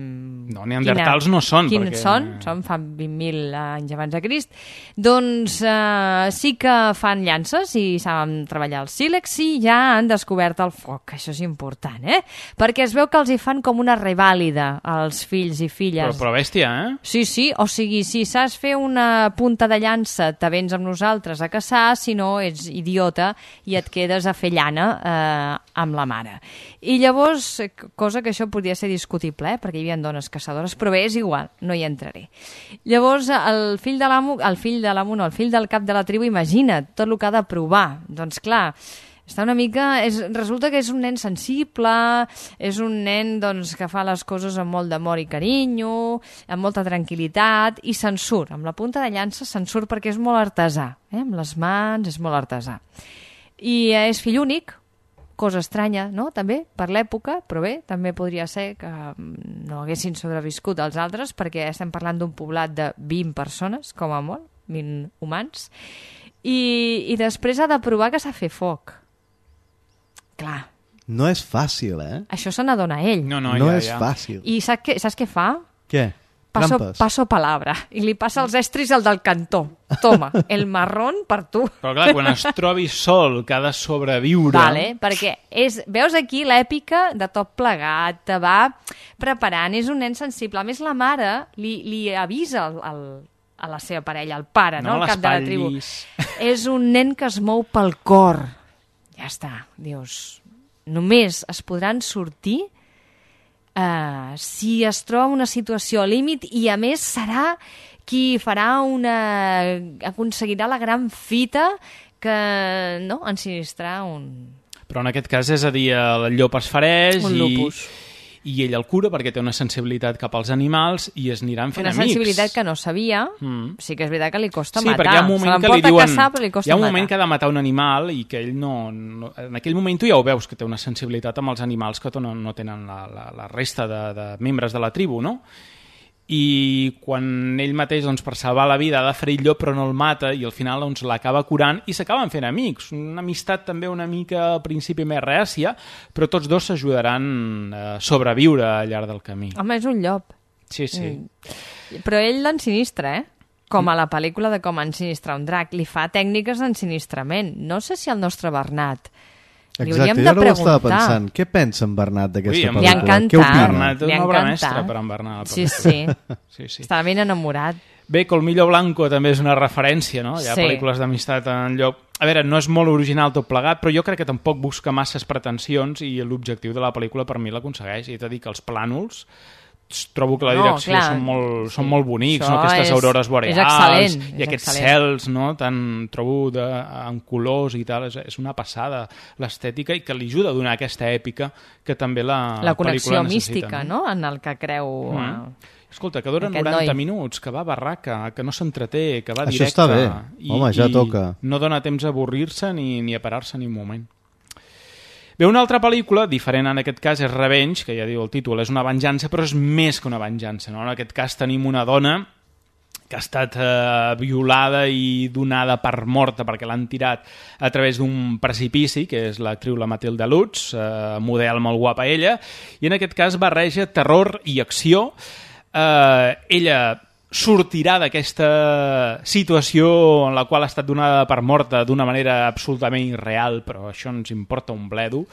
No, neandertals no són. Quins són fa 20.000 anys abans de Crist. Doncs sí que fan llances i saben treballar el sílex i ja han descobert el foc. Això és important, eh? Perquè es veu que els hi fan com una revàlida als fills i filles. Però bèstia, eh? Sí, o sigui, si saps fer una punta de llança, te vens amb nosaltres a caçar, si no ets idiota i et quedes a fer llana amb la mare. I llavors, cosa que això podria ser discutible, perquè hi havia dones caçadores, però bé, és igual, no hi entraré. Llavors, el fill del cap de la tribu, imagina't tot el que ha de provar. Doncs clar, està una mica... resulta que és un nen sensible, és un nen doncs, que fa les coses amb molt d'amor i carinyo, amb molta tranquil·litat, i se'n surt. Amb la punta de llança se'n surt perquè és molt artesà. Amb les mans és molt artesà. I és fill únic, cosa estranya, no?, també, per l'època, però bé, també podria ser que no haguessin sobreviscut els altres, perquè estem parlant d'un poblat de 20 persones, com a molt, 20 humans, i després ha de provar que sap fer foc. Clar. No és fàcil, eh? Això se n'adona ell. No és fàcil. I saps què fa? Què? Paso palabra. I li passa els estris al del cantó. Toma, el marrón per tu. Però clar, quan es trobi sol, que ha de sobreviure... Vale, perquè veus aquí l'èpica de tot plegat, te va preparant, és un nen sensible. A més, la mare li avisa a la seva parella, el pare, no? El cap de la tribu. És un nen que es mou pel cor. Ja està, dius. Només es podran sortir si es troba una situació al límit i, a més, serà qui aconseguirà la gran fita que, no?, ensinistrar un... Però en aquest cas és a dir, el llop es fereix un lupus. I ell el cura perquè té una sensibilitat cap als animals i es aniran fent amics. Una sensibilitat que no sabia, sí que és veritat que li costa matar. Sí, perquè hi ha un moment que li diuen... Hi ha un moment que ha de matar un animal i que ell no... En aquell moment tu ja ho veus, que té una sensibilitat amb els animals que no tenen la resta de membres de la tribu, no? I quan ell mateix, doncs, per salvar la vida, ha de ferir el llop però no el mata i al final doncs, l'acaba curant i s'acaben fent amics. Una amistat també una mica al principi més reàcia, però tots dos s'ajudaran a sobreviure al llarg del camí. Home, és un llop. Sí. Però ell l'ensinistra, eh? Com a la pel·lícula de Com ensinistrar un drac. Li fa tècniques d'ensinistrament. No sé si el nostre Bernat... Exacte, jo no ho estava pensant. Què pensa en Bernat d'aquesta pel·lícula? Li ha encantat. Què opina? Bernat és una obra mestra per en Bernat. Sí. Estava ben enamorat. Bé, Colmillo Blanco també és una referència, no? Hi ha pel·lícules d'amistat en llop. A veure, no és molt original tot plegat, però jo crec que tampoc busca masses pretensions i l'objectiu de la pel·lícula per mi l'aconsegueix. I t'he de dir que els plànols trobo que la direcció són molt bonics, no? Aquestes aurores boreals i aquests cels, no? Trobo en colors i tal, és una passada l'estètica i que li ajuda a donar aquesta èpica que també la connexió pel·lícula necessita. Mística, no? En el que creu... Escolta, que dura 90 minuts, que va barraca, que no s'entreté, que va directe. Això està bé. Home, ja toca. No dona temps a avorrir-se ni a parar-se ni un moment. Bé, una altra pel·lícula, diferent en aquest cas, és Revenge, que ja diu el títol, és una venjança, però és més que una venjança, no? En aquest cas tenim una dona que ha estat violada i donada per morta perquè l'han tirat a través d'un precipici, que és l'actriu la Matilda Lutz, model molt guapa ella, i en aquest cas barreja terror i acció. Ella sortirà d'aquesta situació en la qual ha estat donada per morta d'una manera absolutament irreal, però això ens importa un bledo,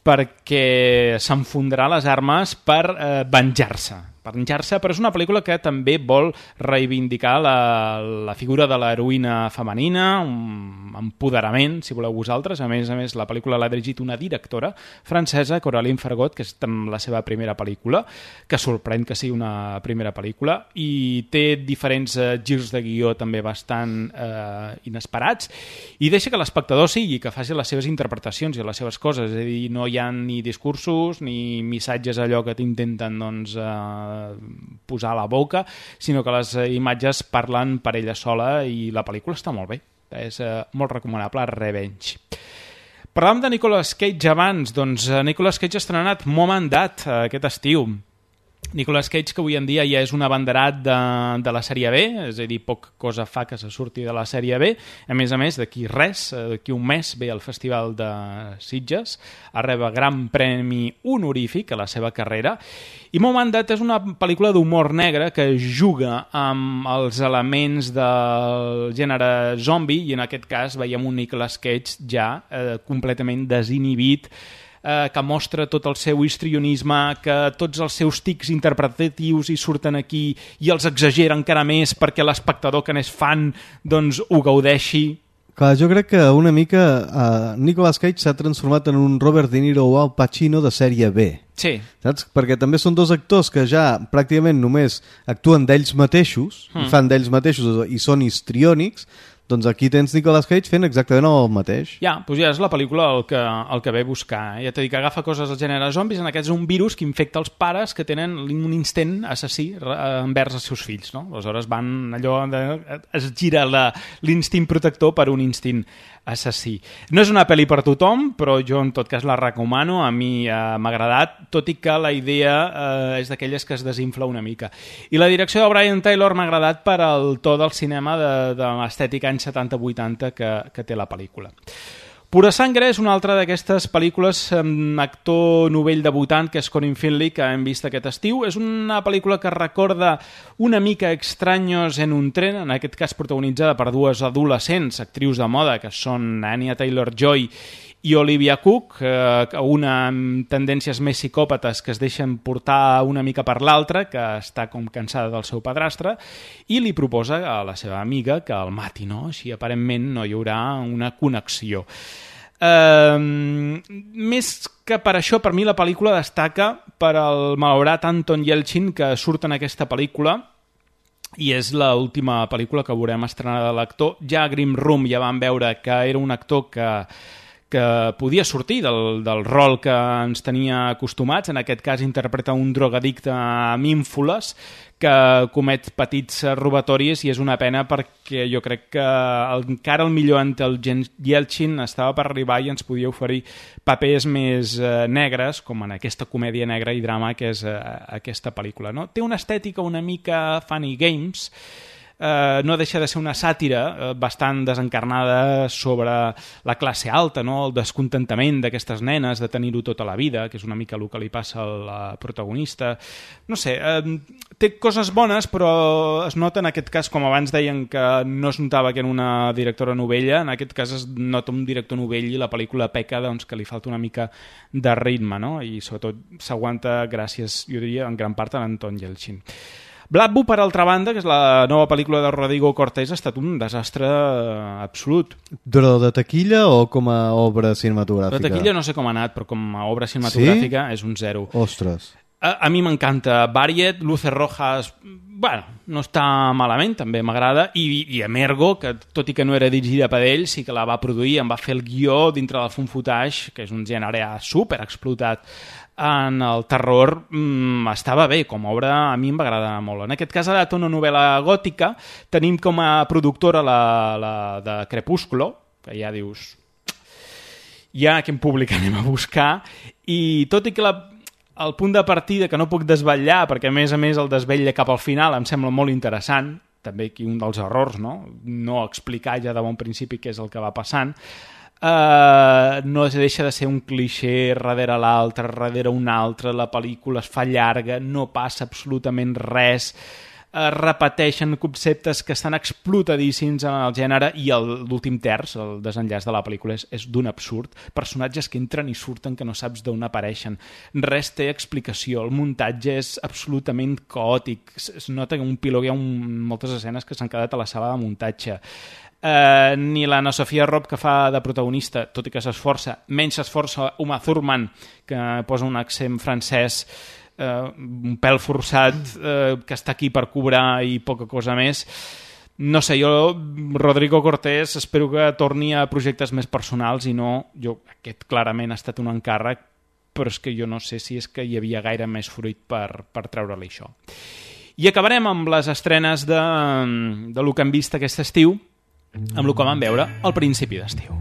perquè s'enfondarà les armes per venjar-se, però és una pel·lícula que també vol reivindicar la figura de l'heroïna femenina, un empoderament, si voleu vosaltres. A més, la pel·lícula l'ha dirigit una directora francesa, Coraline Fargot, que és la seva primera pel·lícula, que sorprèn que sigui una primera pel·lícula, i té diferents girs de guió també bastant inesperats, i deixa que l'espectador sigui, que faci les seves interpretacions i les seves coses, és a dir, no hi ha ni discursos ni missatges allò que t'intenten, doncs, posar a la boca, sinó que les imatges parlen per ella sola i la pel·lícula està molt bé. És molt recomanable, Revenge. Parlàvem de Nicolas Cage abans, doncs Nicolas Cage ha estrenat Mom and Dad aquest estiu. Nicolas Cage, que avui en dia ja és un abanderat de la sèrie B, és a dir, poca cosa fa que se surti de la sèrie B. A més, d'aquí d'aquí un mes ve al Festival de Sitges a rebre gran premi honorífic a la seva carrera. I Mom and Dad és una pel·lícula d'humor negre que juga amb els elements del gènere zombi, i en aquest cas veiem un Nicolas Cage ja completament desinhibit, que mostra tot el seu histrionisme, que tots els seus tics interpretatius hi surten aquí i els exagera encara més perquè l'espectador que n'és fan doncs ho gaudeixi. Clar, jo crec que una mica Nicolas Cage s'ha transformat en un Robert De Niro o Al Pacino de sèrie B. Sí. Saps? Perquè també són dos actors que ja pràcticament només actuen d'ells mateixos, i fan d'ells mateixos i són histriònics. Doncs aquí tens Nicolas Cage fent exactament el mateix. Ja, doncs ja és la pel·lícula el que ve a buscar. Ja t'he dit que agafa coses del gènere zombis, en aquest és un virus que infecta els pares que tenen un instinct assassí envers els seus fills, no? Aleshores es gira l'instint protector per un instint assassí. No és una pel·li per tothom, però jo en tot cas la recomano, a mi m'ha agradat, tot i que la idea és d'aquelles que es desinfla una mica. I la direcció de Brian Taylor m'ha agradat per al to del cinema de l'estètica anys 70-80 que té la pel·lícula. Pura Sangre és una altra d'aquestes pel·lícules amb actor novell debutant, que és Corin Finley, que hem vist aquest estiu. És una pel·lícula que recorda una mica Extraños en un tren, en aquest cas protagonitzada per dues adolescents, actrius de moda, que són Anya Taylor-Joy i Olivia Cook, una amb tendències més psicòpates que es deixen portar una mica per l'altra, que està com cansada del seu padrastre, i li proposa a la seva amiga que el mati, no? Així aparentment no hi haurà una connexió. Més que per això, per mi la pel·lícula destaca per al malaurat Anton Yelchin, que surt en aquesta pel·lícula, i és l'última pel·lícula que veurem estrenada de l'actor. Ja a Grim Room ja vam veure que era un actor que podia sortir del rol que ens tenia acostumats. En aquest cas interpreta un drogadicte amb ínfoles que comet petits robatoris, i és una pena perquè jo crec que encara el millor Anton Yelchin estava per arribar i ens podia oferir papers més negres, com en aquesta comèdia negra i drama que és aquesta pel·lícula, no? Té una estètica una mica Funny Games, no deixa de ser una sàtira bastant desencarnada sobre la classe alta, no? El descontentament d'aquestes nenes de tenir-ho tota la vida, que és una mica el que li passa a la protagonista. No sé, té coses bones, però es nota en aquest cas, com abans deien que no es notava que era una directora novella, en aquest cas es nota un director novell i la pel·lícula peca, doncs, que li falta una mica de ritme, no? I sobretot s'aguanta gràcies, jo diria, en gran part a l'Anton Yelchin. Bladbu, per altra banda, que és la nova pel·lícula de Rodrigo Cortés, ha estat un desastre absolut. Però de taquilla o com a obra cinematogràfica? De taquilla no sé com ha anat, però com a obra cinematogràfica és un 0. Ostres. A mi m'encanta Variet, Luces Rojas, bueno, no està malament, també m'agrada, i Emergo, que tot i que no era dirigida per ell, sí que la va produir, em va fer el guió dintre del fun footage, que és un gènere super explotat en el terror. Estava bé, com a obra a mi em va agradar molt. En aquest cas ha estat una novel·la gòtica, tenim com a productora la de Crepúsculo, que ja dius, ja quin públic anem a buscar, i tot i que el punt de partida, que no puc desvetllar, perquè a més el desvetlla cap al final, em sembla molt interessant, també aquí un dels errors, no explicar ja de bon principi què és el que va passant, no deixa de ser un clixé darrere l'altre, darrere un altre, la pel·lícula es fa llarga, no passa absolutament res, repeteixen conceptes que estan explotadíssims en el gènere, i l'últim terç, el desenllaç de la pel·lícula, és d'un absurd. Personatges que entren i surten que no saps d'on apareixen. Res té explicació. El muntatge és absolutament caòtic. Es nota que un pilot hi ha moltes escenes que s'han quedat a la sala de muntatge. Ni l'Anna Sofia Robb, que fa de protagonista, tot i que s'esforça, menys s'esforça Uma Thurman, que posa un accent francès un pèl forçat, que està aquí per cobrar i poca cosa més. No sé, jo, Rodrigo Cortés, espero que torni a projectes més personals i no, aquest clarament ha estat un encàrrec, però és que jo no sé si és que hi havia gaire més fruit per treure-li això. I acabarem amb les estrenes de lo que hem vist aquest estiu, amb el que vam veure al principi d'estiu.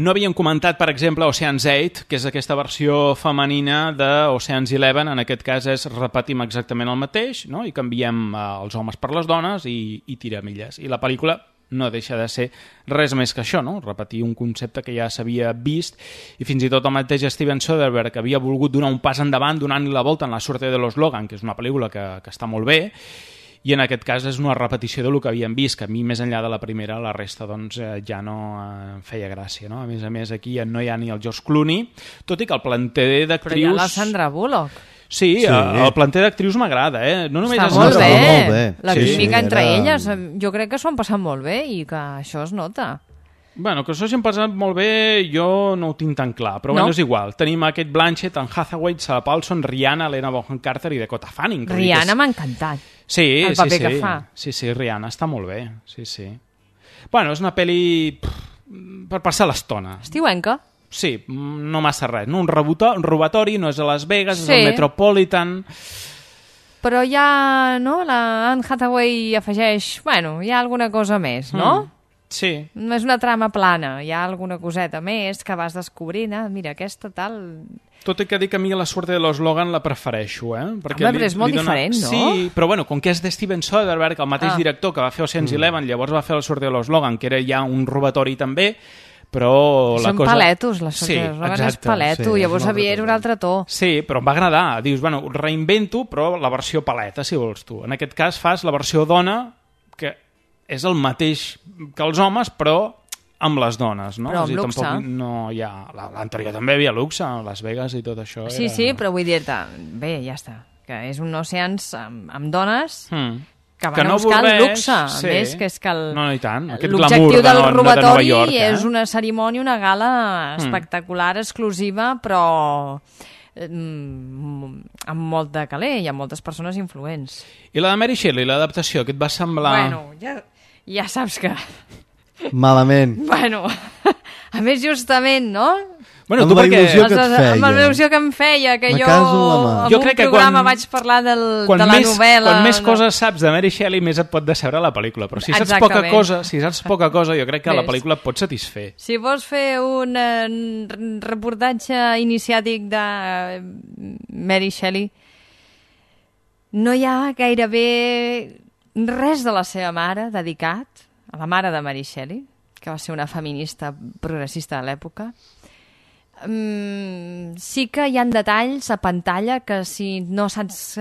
No havíem comentat, per exemple, Ocean's 8, que és aquesta versió femenina d'Ocean's 11. En aquest cas repetim exactament el mateix, no? I canviem els homes per les dones i tiramilles. I la pel·lícula no deixa de ser res més que això, no? Repetir un concepte que ja s'havia vist, i fins i tot el mateix Steven Soderbergh havia volgut donar un pas endavant donant-li la volta en La suerte de los Logan, que és una pel·lícula que està molt bé, i en aquest cas és una repetició del que havíem vist, que a mi més enllà de la primera la resta doncs, ja no feia gràcia, no? A més aquí no hi ha ni el George Clooney, tot i que el planter d'actrius... Però hi ha la Sandra Bullock. Sí, el planter d'actrius m'agrada, No només està és molt Sandra Bullock. bé. molt bé. La Sí, química sí, entre era- elles, jo crec que s'ho han passat molt bé i que això es nota. Bueno, que això s'hi han passat molt bé, jo no ho tinc tan clar, però bueno, és igual. Tenim aquest Blanchett, en Hathaway, Sarah Paulson, Rihanna, Helena Bonham Carter i Dakota Fanning. que Rihanna m'ha encantat. Sí, el paper que fa. Sí, Rihanna està molt bé, sí. Bueno, és una pel·li per passar l'estona. Estiuenca. Sí, no massa res, no? Un robatori, no és a Las Vegas, Sí. és al Metropolitan... Però ja, no? La Anne Hathaway afegeix... Bueno, hi ha alguna cosa més, no? Sí. No és una trama plana, hi ha alguna coseta més que vas descobrint. Mira, aquesta tal... Tot i que dic que a mi la suerte de los Logan la prefereixo, Perquè Home, però és molt diferent, no? Sí, però bueno, com que és de Steven Soderbergh, el mateix director que va fer Ocean's 11, llavors va fer la suerte de los Logan, que era ja un robatori també, però la Són cosa... paletos, les Sí, sorpreses. És exacte. paleto, sí, llavors és un altre era un altre to. Sí, però em va agradar. Dius, bueno, reinvento, però la versió paleta, si vols tu. En aquest cas fas la versió dona, que és el mateix que els homes, però amb les dones, no? Però És a dir, amb luxe. tampoc no hi ha... L'anterior també hi havia luxe, a Las Vegas i tot això. Sí, sí, però vull dir-te... Bé, ja està. Que és un Oceans amb dones que van a buscar el luxe. A més, que és que No, i tant. Aquest l'objectiu glamour del de Nova robatori York, és una cerimònia, una gala espectacular, exclusiva, però amb molt de caler i amb moltes persones influents. I la de Mary Shelley, l'adaptació, què et va semblar? Bueno, ja saps que... Malament. Bueno, a més justament, no? Bueno, Amb tu la perquè... il·lusió que et feia. Amb la il·lusió que em feia, que Me jo caso en la mà. en Jo un crec que programa quan- vaig parlar de Quan la novel·la... Quan més coses saps de Mary Shelley, més et pot decebre la pel·lícula. Però si saps Exactament. poca cosa, jo crec que la Ves. pel·lícula et pot satisfer. Si vols fer un reportatge iniciàtic de Mary Shelley, no hi ha gairebé res de la seva mare dedicat a la mare de Mary Shelley, que va ser una feminista progressista de l'època. Sí que hi ha detalls a pantalla que si no saps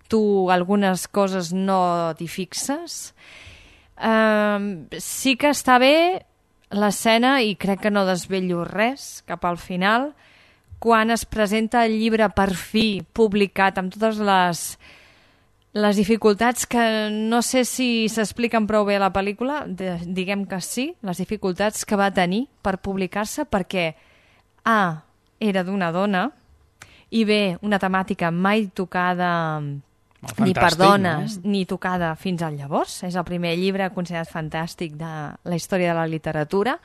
tu algunes coses no t'hi fixes. Sí que està bé l'escena, i crec que no desvello res cap al final, quan es presenta el llibre per fi publicat amb totes les dificultats que no sé si s'expliquen prou bé a la pel·lícula, diguem que sí, les dificultats que va tenir per publicar-se, perquè A, era d'una dona, i B, una temàtica mai tocada ni per dones, ni tocada fins al llavors. És el primer llibre considerat fantàstic de la història de la literatura.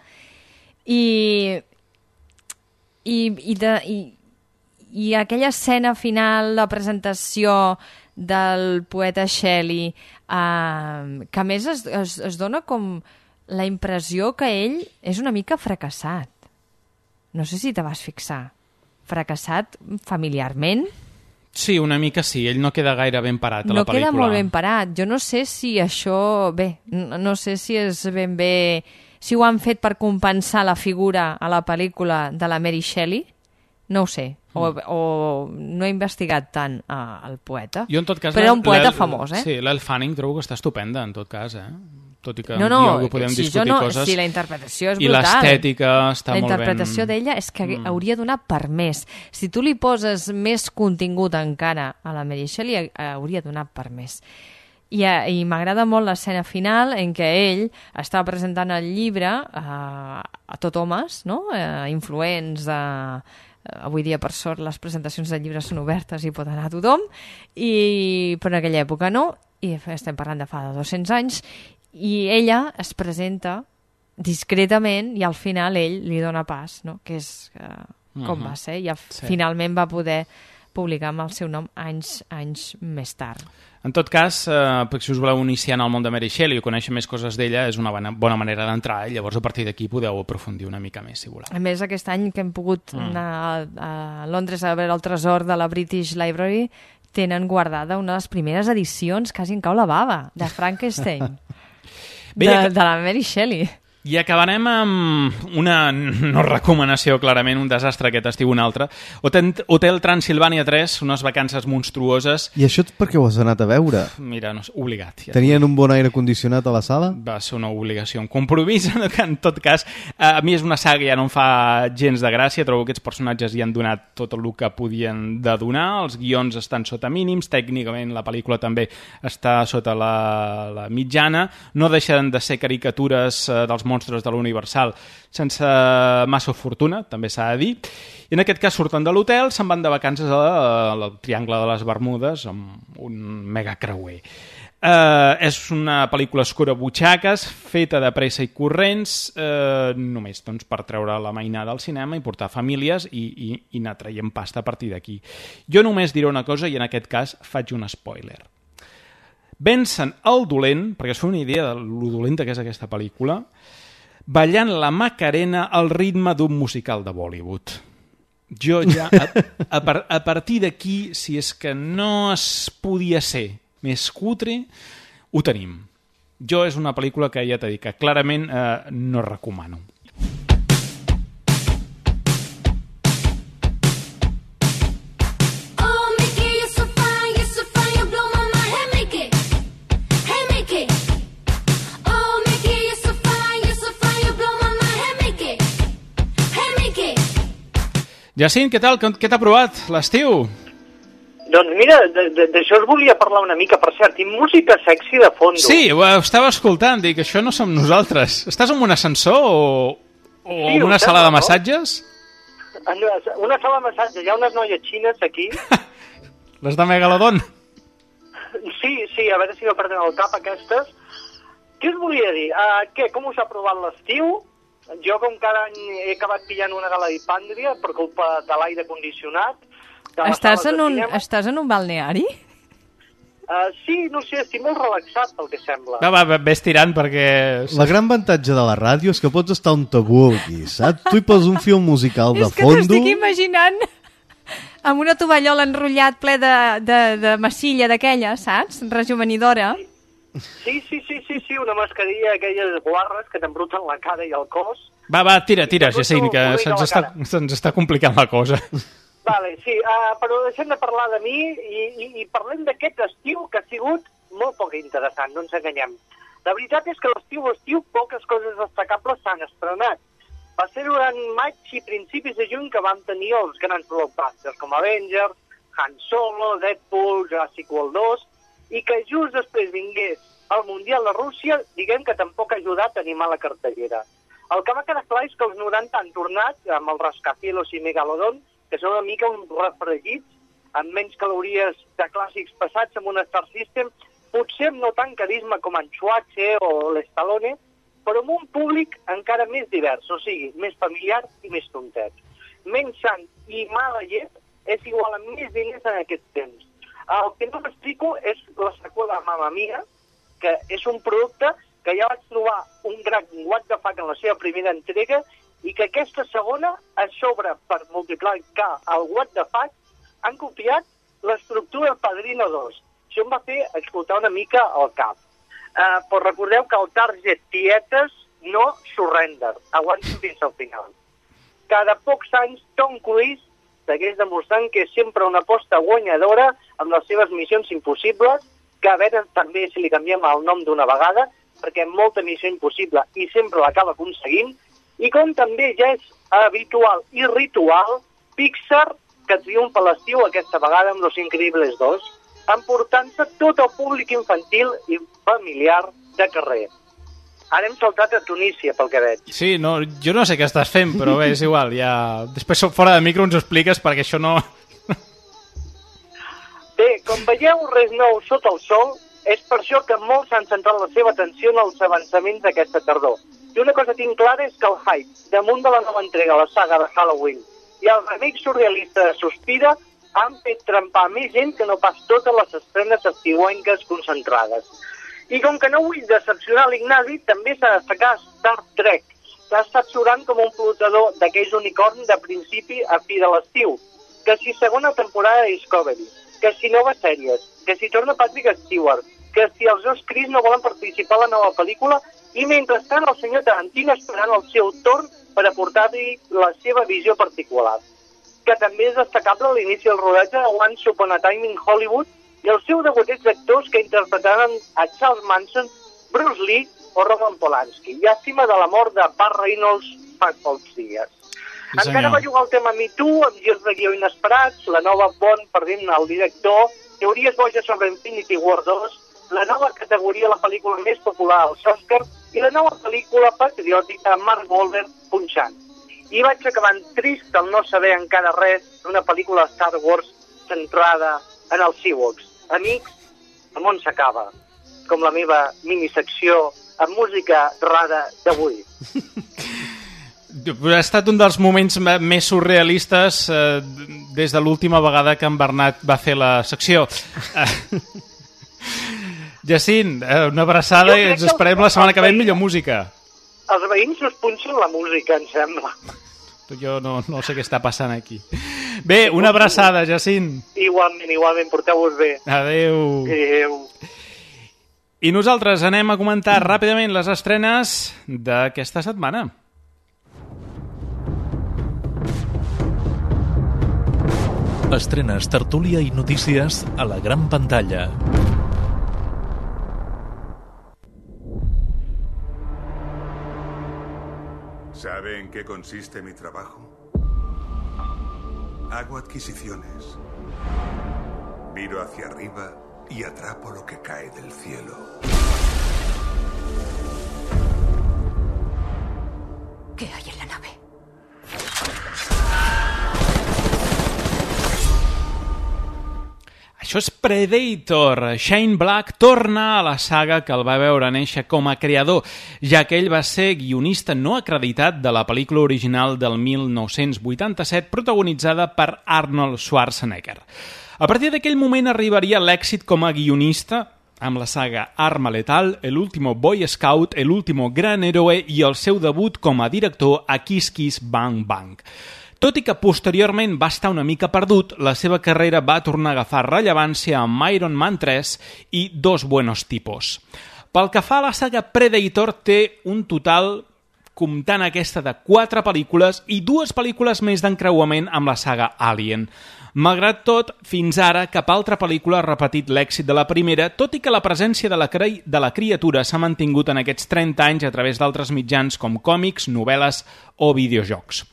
I aquella escena final, la presentació del poeta Shelley, que a més es dona com la impressió que ell és una mica fracassat. No sé si te vas fixar. Fracassat familiarment. Sí, una mica sí. Ell no queda gaire ben parat a la pel·lícula. No queda molt ben parat. Jo no sé si això... Bé, no sé si és ben bé... Si ho han fet per compensar la figura a la pel·lícula de la Mary Shelley, no ho sé. O no he investigat tant el poeta. Jo, en tot cas, però era un poeta famós, Sí, l'Elle Fanning trobo que està estupenda, en tot cas, Tot i que podem si discutir coses. Si la interpretació és I brutal. l'estètica està molt ben... La interpretació d'ella és que hauria de donar per més. Si tu li poses més contingut encara a la Mary Shelley, hauria de donar per més. I m'agrada molt l'escena final en què ell està presentant el llibre a tot homes, no? Influents de... Avui dia, per sort, les presentacions de llibres són obertes i pot anar a tothom, però en aquella època no, i estem parlant de fa 200 anys, i ella es presenta discretament i al final ell li dona pas, no? Que és com va ser, i finalment va poder publicar amb el seu nom anys més tard. En tot cas, perquè si us voleu iniciar en el món de Mary Shelley i conèixer més coses d'ella, és una bona manera d'entrar, i llavors a partir d'aquí podeu aprofundir una mica més, si voleu. A més, aquest any que hem pogut anar a Londres a veure el tresor de la British Library, tenen guardada una de les primeres edicions, quasi en cau la bava, de Frankenstein, de la Mary Shelley. I acabarem amb una no recomanació, clarament, un desastre aquest estiu, un altre. Hotel Transilvània 3, unes vacances monstruoses. I això per què ho has anat a veure? Mira, no, obligat. Ja. Tenien un bon aire condicionat a la sala? Va ser una obligació, un compromís, que en tot cas, a mi és una saga ja no em fa gens de gràcia, trobo que aquests personatges hi han donat tot el que podien de donar, els guions estan sota mínims, tècnicament la pel·lícula també està sota la mitjana, no deixen de ser caricatures dels monstres de l'Universal sense massa fortuna, també s'ha de dir. I en aquest cas surten de l'hotel, se'n van de vacances al Triangle de les Bermudes amb un mega creuer. És una pel·lícula escurabutxaques, feta de pressa i corrents, només doncs, per treure la mainada al cinema i portar famílies i anar traient pasta a partir d'aquí. Jo només diré una cosa i en aquest cas faig un spoiler. Vencen el dolent, perquè es fa una idea de lo dolenta que és aquesta pel·lícula, ballant la Macarena al ritme d'un musical de Bollywood. Jo ja, a partir d'aquí, si és que no es podia ser més cutre, ho tenim. Jo és una pel·lícula que ja t'he dit que clarament no recomano. Jacint, què tal? Què t'ha provat l'estiu? Doncs mira, d'això us volia parlar una mica, per cert, i música sexy de fondo. Sí, ho estava escoltant, dic, això no som nosaltres. Estàs en un ascensor o sí, en una sala de massatges? En una sala de massatges, hi ha unes noies xines aquí. Les de Megalodon? Sí, a veure si no perden el cap aquestes. Què us volia dir? Com us ha provat l'estiu? Jo, com cada any, he acabat pillant una galadipàndria per culpa de l'aire condicionat. Estàs en un balneari? Sí, no sé, estic molt relaxat, pel que sembla. Va, ves tirant perquè... La gran avantatge de la ràdio és que pots estar on te vulguis, saps? Tu hi poses un film musical de fondo... És que t'estic imaginant amb una tovallola enrotllat ple de massilla d'aquella, saps? Rejuvenidora. Sí, una mascarilla d'aquelles guarres que t'embruten la cara i el cos. Va, tira, Jacint, que se'ns està complicant la cosa. Vale, sí, però deixem de parlar de mi i parlem d'aquest estiu que ha sigut molt poc interessant, no ens enganyem. La veritat és que l'estiu poques coses destacables s'han estrenat. Va ser durant maig i principis de juny que vam tenir els grans blockbusters com Avengers, Han Solo, Deadpool, Jurassic World 2, i que just després vingués el Mundial de Rússia, diguem que tampoc ha ajudat a animar la cartellera. El que va quedar clar és que els 90 han tornat amb el Rascacielos i Megalodon, que són una mica uns refregits, amb menys calories de clàssics passats amb un Star System, potser amb no tant carisma com en Schwarzenegger o l'Stallone, però amb un públic encara més divers, o sigui, més familiar i més tontet. Menys sang i mala llet és igual a més diners en aquest temps. El que no m'explico és la seqüela Mamma Mia, que és un producte que ja vaig trobar un gran what the fuck en la seva primera entrega i que aquesta segona, a sobre, per multiplicar el what the fuck, han copiat l'estructura Padrino 2. Això em va fer explotar una mica el cap. Però recordeu que el target tietes no surrender, aguanten fins al final. Cada pocs anys, Tom Cruise segueix demostrant que és sempre una aposta guanyadora amb les seves missions impossibles, que a veure també si li canviem el nom d'una vegada, perquè molta missió impossible i sempre l'acaba aconseguint, i com també ja és habitual i ritual, Pixar, que triomfa l'estiu aquesta vegada amb Los Increíbles 2, emportant-se tot el públic infantil i familiar de carrer. Ara hem saltat a Tunísia, pel que veig. Sí, no, jo no sé què estàs fent, però bé, és igual, ja... Després fora de micro ens ho expliques perquè això no... Bé, com veieu, res nou sota el sol, és per això que molts han centrat la seva atenció en els avançaments d'aquesta tardor. I una cosa tinc clara és que el hype damunt de la nova entrega a la saga de Halloween i el remake surrealista de Suspira han fet trempar més gent que no pas totes les estrenes estiuenques concentrades. I com que no vull decepcionar l'Ignasi, també s'ha de destacar Star Trek, que ha estat surant com un flotador d'aquells unicorns de principi a fi de l'estiu, que si segona temporada de Discovery, que si noves sèries, que si torna Patrick Stewart, que si els dos Chris no volen participar a la nova pel·lícula, i mentrestant el senyor Tarantino esperant el seu torn per aportar-hi la seva visió particular. Que també és destacable l'inici del rodatge de Once Upon a Time in Hollywood i el seu debuteig d'actors que interpretaran a Charles Manson, Bruce Lee o Roman Polanski. Llàstima de la mort de Burt Reynolds fa pocs dies. Sí, encara va jugar el tema Me Too, amb girs de guió inesperats, la nova Bond perdent el director, teories boges sobre Infinity War 2, la nova categoria a la pel·lícula més popular als Oscars i la nova pel·lícula patriòtica Mark Wahlberg punxant. I vaig acabant trist al no saber encara res d'una pel·lícula de Star Wars centrada en els Ewoks. Amics, el món s'acaba, com la meva minisecció amb música rara d'avui. Ha estat un dels moments més surrealistes des de l'última vegada que en Bernat va fer la secció. Jacint, una abraçada i ens esperem la setmana que ve amb millor música. Els veïns us punxen la música, em sembla. Jo no sé què està passant aquí. Bé, una abraçada, Jacint. Igualment, porteu-vos bé. Adéu. Adéu. I nosaltres anem a comentar ràpidament les estrenes d'aquesta setmana. Estrenes, tertúlia i notícies a la gran pantalla. ¿Sabe en qué consiste mi trabajo? Hago adquisiciones. Miro hacia arriba y atrapo lo que cae del cielo. ¿Qué hay en la nave? Això és Predator. Shane Black torna a la saga que el va veure néixer com a creador, ja que ell va ser guionista no acreditat de la pel·lícula original del 1987 protagonitzada per Arnold Schwarzenegger. A partir d'aquell moment arribaria l'èxit com a guionista amb la saga Arma Letal, El último Boy Scout, El último Gran Héroe i el seu debut com a director a Kiss Kiss Bang Bang. Tot i que posteriorment va estar una mica perdut, la seva carrera va tornar a agafar rellevància amb Iron Man 3 i Dos Buenos Tipos. Pel que fa a la saga Predator, té un total, comptant aquesta, de 4 pel·lícules i 2 pel·lícules més d'encreuament amb la saga Alien. Malgrat tot, fins ara cap altra pel·lícula ha repetit l'èxit de la primera, tot i que la presència de la criatura s'ha mantingut en aquests 30 anys a través d'altres mitjans com còmics, novel·les o videojocs.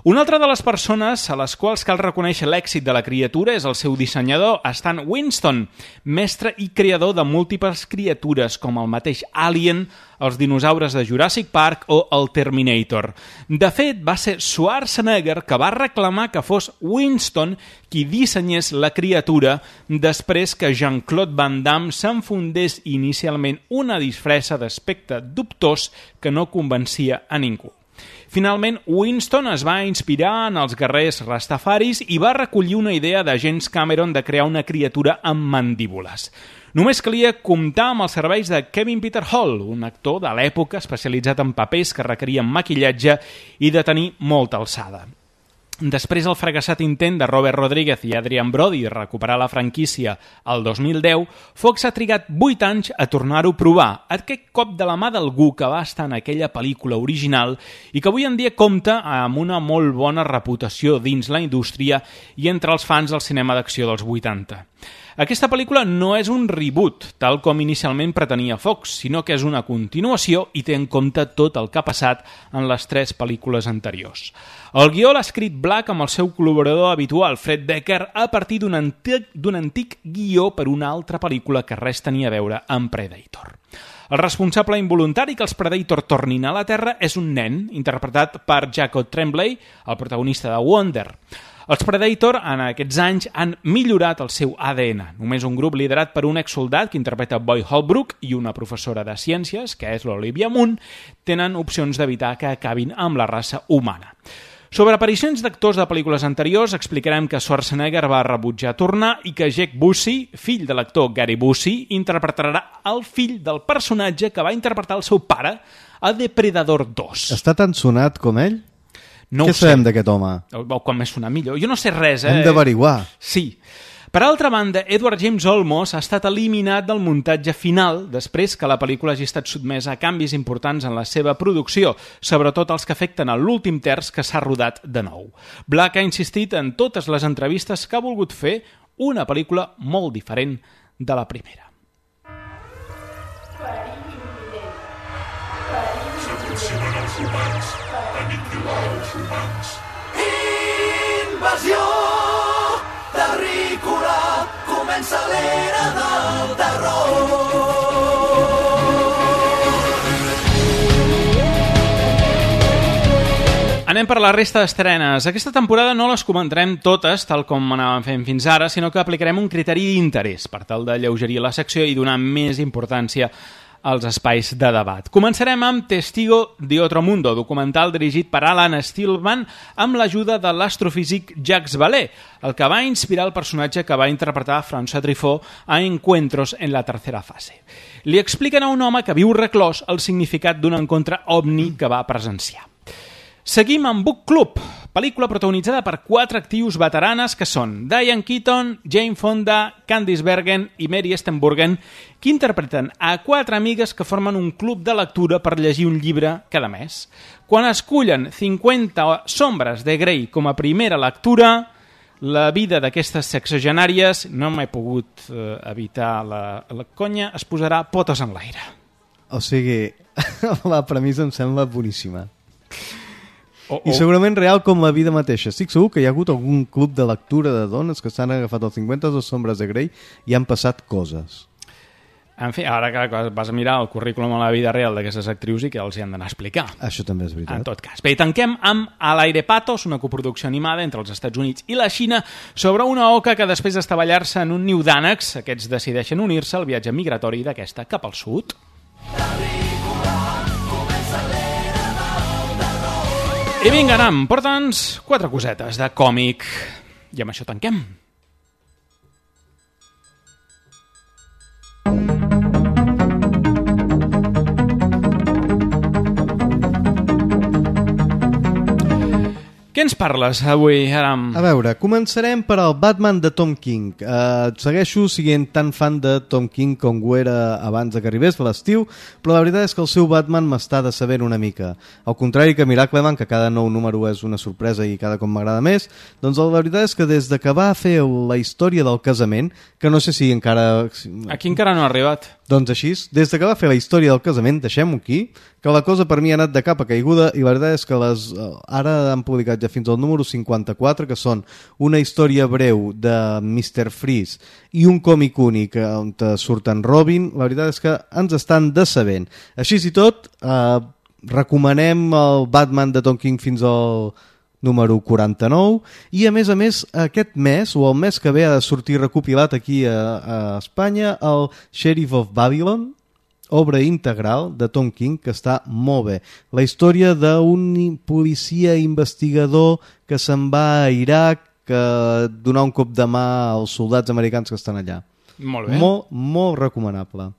Una altra de les persones a les quals cal reconèixer l'èxit de la criatura és el seu dissenyador, Stan Winston, mestre i creador de múltiples criatures com el mateix Alien, els dinosaures de Jurassic Park o el Terminator. De fet, va ser Schwarzenegger que va reclamar que fos Winston qui dissenyés la criatura després que Jean-Claude Van Damme s'enfundés inicialment una disfressa d'aspecte dubtós que no convencia a ningú. Finalment, Winston es va inspirar en els guerrers rastafaris i va recollir una idea de James Cameron de crear una criatura amb mandíbules. Només calia comptar amb els serveis de Kevin Peter Hall, un actor de l'època especialitzat en papers que requerien maquillatge i de tenir molta alçada. Després del fracassat intent de Robert Rodríguez i Adrian Brody de recuperar la franquícia el 2010, Fox ha trigat 8 anys a tornar-ho a provar, aquest cop de la mà d'algú que va estar en aquella pel·lícula original i que avui en dia compta amb una molt bona reputació dins la indústria i entre els fans del cinema d'acció dels 80. Aquesta pel·lícula no és un reboot, tal com inicialment pretenia Fox, sinó que és una continuació i té en compte tot el que ha passat en les 3 pel·lícules anteriors. El guió l'ha escrit Black amb el seu col·laborador habitual, Fred Decker, a partir d'un antic guió per una altra pel·lícula que res tenia a veure amb Predator. El responsable involuntari que els Predator tornin a la Terra és un nen, interpretat per Jacob Tremblay, el protagonista de Wonder. Els Predator en aquests anys han millorat el seu ADN. Només un grup liderat per un exsoldat que interpreta Boy Holbrook i una professora de ciències, que és l'Olivia Munn, tenen opcions d'evitar que acabin amb la raça humana. Sobre aparicions d'actors de pel·lícules anteriors, explicarem que Schwarzenegger va rebutjar tornar i que Jack Busey, fill de l'actor Gary Busey, interpretarà el fill del personatge que va interpretar el seu pare a Depredador 2. Està tan sonat com ell? No Què sabem d'aquest home? Com més sonar millor. Jo no sé res, Hem d'averiguar. Sí. Per altra banda, Edward James Olmos ha estat eliminat del muntatge final després que la pel·lícula hagi estat sotmesa a canvis importants en la seva producció, sobretot els que afecten a l'últim terç que s'ha rodat de nou. Black ha insistit en totes les entrevistes que ha volgut fer una pel·lícula molt diferent de la primera. S'aproximen els humans. Aniquilar els humans. Invasió terrícola, comença l'era del terror. Anem per la resta d'estrenes. Aquesta temporada no les comentarem totes, tal com anàvem fent fins ara, sinó que aplicarem un criteri d'interès per tal d'alleugerir la secció i donar més importància als espais de debat. Començarem amb Testigo de Otro Mundo, documental dirigit per Alan Stillman amb l'ajuda de l'astrofísic Jacques Vallée, el que va inspirar el personatge que va interpretar François Truffaut a Encuentros en la tercera fase. Li expliquen a un home que viu reclòs el significat d'un encontre ovni que va presenciar. Seguim amb Book Club, pel·lícula protagonitzada per 4 actius veteranes que són Diane Keaton, Jane Fonda, Candice Bergen i Mary Steenburgen, que interpreten a 4 amigues que formen un club de lectura per llegir un llibre cada mes. Quan escullen 50 sombres de Grey com a primera lectura, la vida d'aquestes sexagenàries, no m'he pogut evitar la conya, es posarà potes en l'aire. O sigui, la premissa em sembla boníssima. I segurament real com la vida mateixa. Estic segur que hi ha hagut algun club de lectura de dones que s'han agafat els 52 sombres de Grey i han passat coses. En fi, ara que vas a mirar el currículum a la vida real d'aquestes actrius i que els hi han d'anar a explicar. Això també és veritat. En tot cas. Bé, tanquem amb Al aire patos, una coproducció animada entre els Estats Units i la Xina sobre una oca que després d'estavellar-se en un niu d'ànecs, aquests decideixen unir-se al viatge migratori d'aquesta cap al sud. I vinga, Aram, porta'ns 4 cosetes de còmic. I amb això tanquem. Què ens parles avui, Aram? A veure, començarem per al Batman de Tom King. Segueixo siguent tan fan de Tom King com ho era abans que arribés l'estiu, però la veritat és que el seu Batman m'està decebent una mica. Al contrari que Miracleman, que cada nou número és una sorpresa i cada cop m'agrada més, doncs la veritat és que des de que va fer la història del casament, que no sé si encara... Aquí encara no ha arribat. Doncs així, des de que va fer la història del casament, deixem-ho aquí, que la cosa per mi ha anat de capa caiguda i la veritat és que ara han publicat ja fins al número 54, que són una història breu de Mr. Freeze i un còmic únic on surten Robin. La veritat és que ens estan decebent. Així i tot, recomanem el Batman de Tom King fins al número 49 i a més aquest mes o el mes que ve ha de sortir recopilat aquí a Espanya el Sheriff of Babylon, obra integral de Tom King que està molt bé. La història d'un policia investigador que se'n va a Iraq que donar un cop de mà als soldats americans que estan allà. Molt bé. Molt recomanable.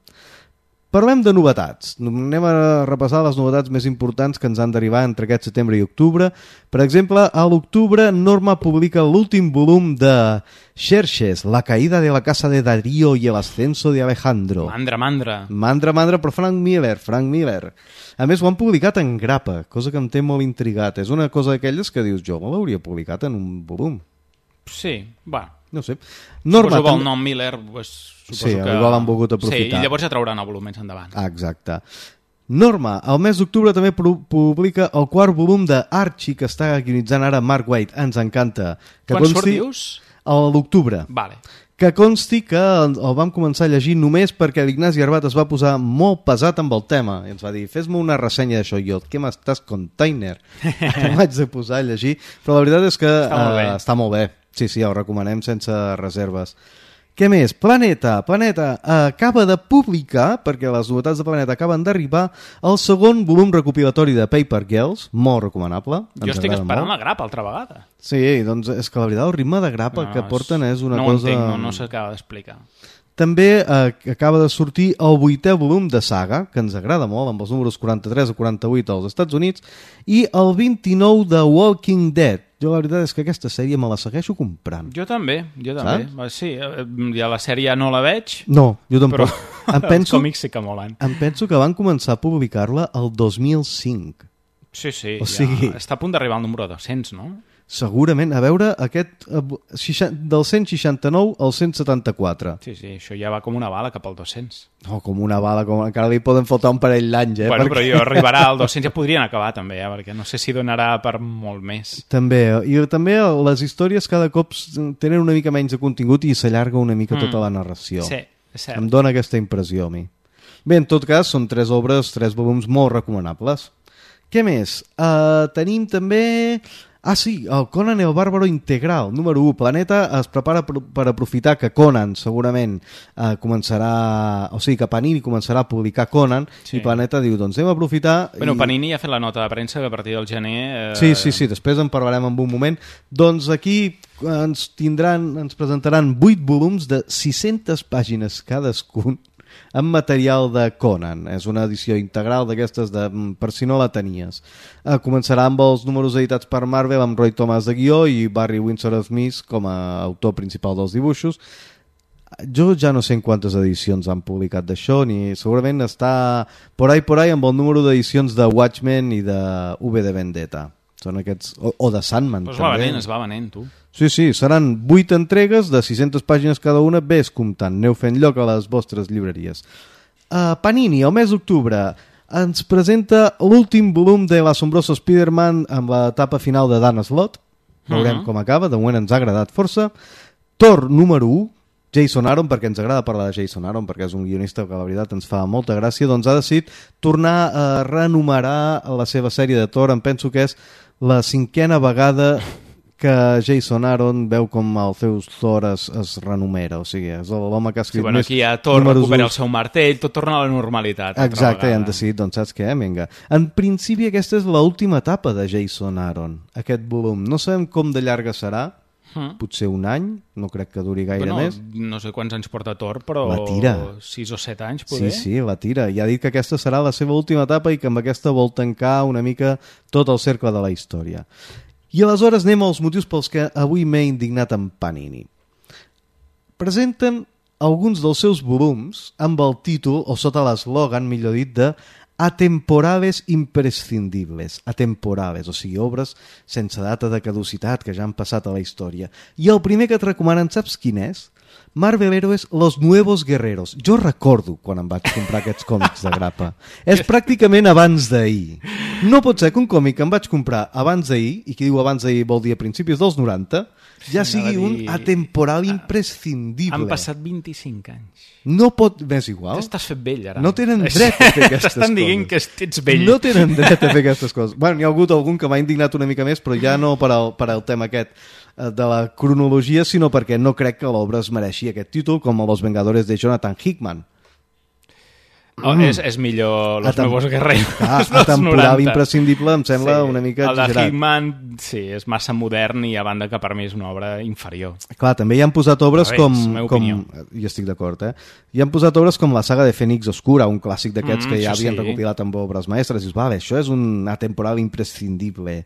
Parlem de novetats. Anem a repassar les novetats més importants que ens han d'arribar entre aquest setembre i octubre. Per exemple, a l'octubre Norma publica l'últim volum de Xerxes, la caída de la casa de Darío y el ascenso de Alejandro. Mandra, però Frank Miller. A més, ho han publicat en grapa, cosa que em té molt intrigat. És una cosa d'aquelles que dius, jo me l'hauria publicat en un volum. Sí, va. No sé. Norma, suposo que el nom Miller, pues, sí, que... igual han volgut aprofitar. Sí, i llavors ja trauran el volum més endavant. Exacte. Norma, al mes d'octubre també publica el 4 volum de Archie, que està guionitzant ara Mark Waid. Ens encanta. Quan surt, dius? A l'octubre. Vale. Que consti que el vam començar a llegir només perquè l'Ignasi Arbat es va posar molt pesat amb el tema i ens va dir, fes-me una ressenya d'això. I jo, què m'estàs container? Vaig de posar a llegir, però la veritat és que està molt bé. Sí, el recomanem sense reserves. Què més? Planeta acaba de publicar, perquè les novetats de Planeta acaben d'arribar, el segon volum recopilatori de Paper Girls, molt recomanable. Jo estic esperant la grapa altra vegada. Sí, doncs és que la veritat el ritme de grapa que porten és una cosa... No ho entenc, no s'acaba d'explicar. També acaba de sortir el 8è volum de Saga, que ens agrada molt, amb els números 43 o 48 als Estats Units, i el 29 de Walking Dead. Jo la veritat és que aquesta sèrie me la segueixo comprant. Jo també. Saps? Sí, ja la sèrie ja no la veig. No, jo tampoc. Però els còmics sí que molen. Em penso que van començar a publicar-la el 2005. Sí, o sigui... està a punt d'arribar al número 200, no? Segurament, a veure, aquest del 169 al 174. Sí, això ja va com una bala cap al 200. No, com una bala, encara li poden faltar un parell d'anys, Bueno, perquè... però jo arribarà al 200, ja podrien acabar també, perquè no sé si donarà per molt més. També, i també les històries cada cop tenen una mica menys de contingut i s'allarga una mica tota la narració. Sí, és cert. Em dóna aquesta impressió a mi. Bé, en tot cas, són 3 obres, 3 volums molt recomanables. Què més? Tenim també... sí, el Conan el Bàrbaro Integral, número 1. Planeta es prepara per aprofitar que Conan segurament començarà... O sigui, que Panini començarà a publicar Conan, i Planeta diu, doncs hem a aprofitar... Bueno, Panini ja ha fet la nota de premsa que a partir del gener... Sí, després en parlarem en un moment. Doncs aquí ens presentaran 8 volums de 600 pàgines cadascun, amb material de Conan. És una edició integral d'aquestes per si no la tenies. Començarà amb els números editats per Marvel, amb Roy Thomas de guió i Barry Windsor Smith com a autor principal dels dibuixos. Jo ja no sé en quantes edicions han publicat d'això, ni segurament està por ahí amb el número d'edicions de Watchmen i de V de Vendetta. Són aquests... O de Sandman, també. Es va venent, tu. Sí, seran 8 entregues de 600 pàgines cada una, ves comptant, aneu fent lloc a les vostres llibreries. Panini, el mes d'octubre, ens presenta l'últim volum de l'assombroso Spider-Man amb l'etapa final de Dan Slott. Veurem com acaba, de moment ens ha agradat força. Thor número 1, Jason Aaron, perquè ens agrada parlar de Jason Aaron, perquè és un guionista que la veritat ens fa molta gràcia, doncs ha decidit tornar a renumerar la seva sèrie de Thor. Em penso que és la 5a vegada que Jason Aaron veu com el seu Thor es renumera, o sigui, és l'home que ha escrit més... Aquí ja Thor recupera el seu martell, tot torna a la normalitat. Exacte, i han decidit, doncs saps què? Vinga. En principi aquesta és l'última etapa de Jason Aaron, aquest volum. No sabem com de llarga serà, potser un any, no crec que duri gaire més. No sé quants anys porta Thor, però la tira. 6 o 7 anys, poder. Sí, la tira. I ha dit que aquesta serà la seva última etapa i que amb aquesta vol tancar una mica tot el cercle de la història. I aleshores anem als motius pels que avui m'he indignat amb Panini. Presenten alguns dels seus volums amb el títol, o sota l'eslògan, millor dit, de Atemporales imprescindibles. Atemporales, o sigui, obres sense data de caducitat que ja han passat a la història. I el primer que et recomanen, saps quin és? Marvel Heroes Los Nuevos Guerreros. Jo recordo quan em vaig comprar aquests còmics de grapa. És pràcticament abans d'ahir. No pot ser que un còmic que em vaig comprar abans d'ahir, i qui diu abans d'ahir vol dir a principis dels 90, ja sigui un atemporal imprescindible. Han passat 25 anys. No pot... M'és igual. T'estàs fet vell, ara. No tenen dret a fer aquestes coses. T'estan dient que ets vell. No tenen dret a fer aquestes coses. Bueno, n'hi ha hagut algun que m'ha indignat una mica més, però ja no per al tema aquest de la cronologia, sinó perquè no crec que l'obra es mereixi aquest títol, com Los Vengadores de Jonathan Hickman. És millor Los Nuevos Guerreros. Atemporal imprescindible em sembla una mica exagerat. El de Hickman, sí, és massa modern i a banda que per mi és una obra inferior. Clar, també hi han posat obres com... Jo estic d'acord, Hi han posat obres com la saga de Fènix Oscura, un clàssic d'aquests que ja havien recopilat amb obres mestres. I dius, vale, això és un atemporal imprescindible.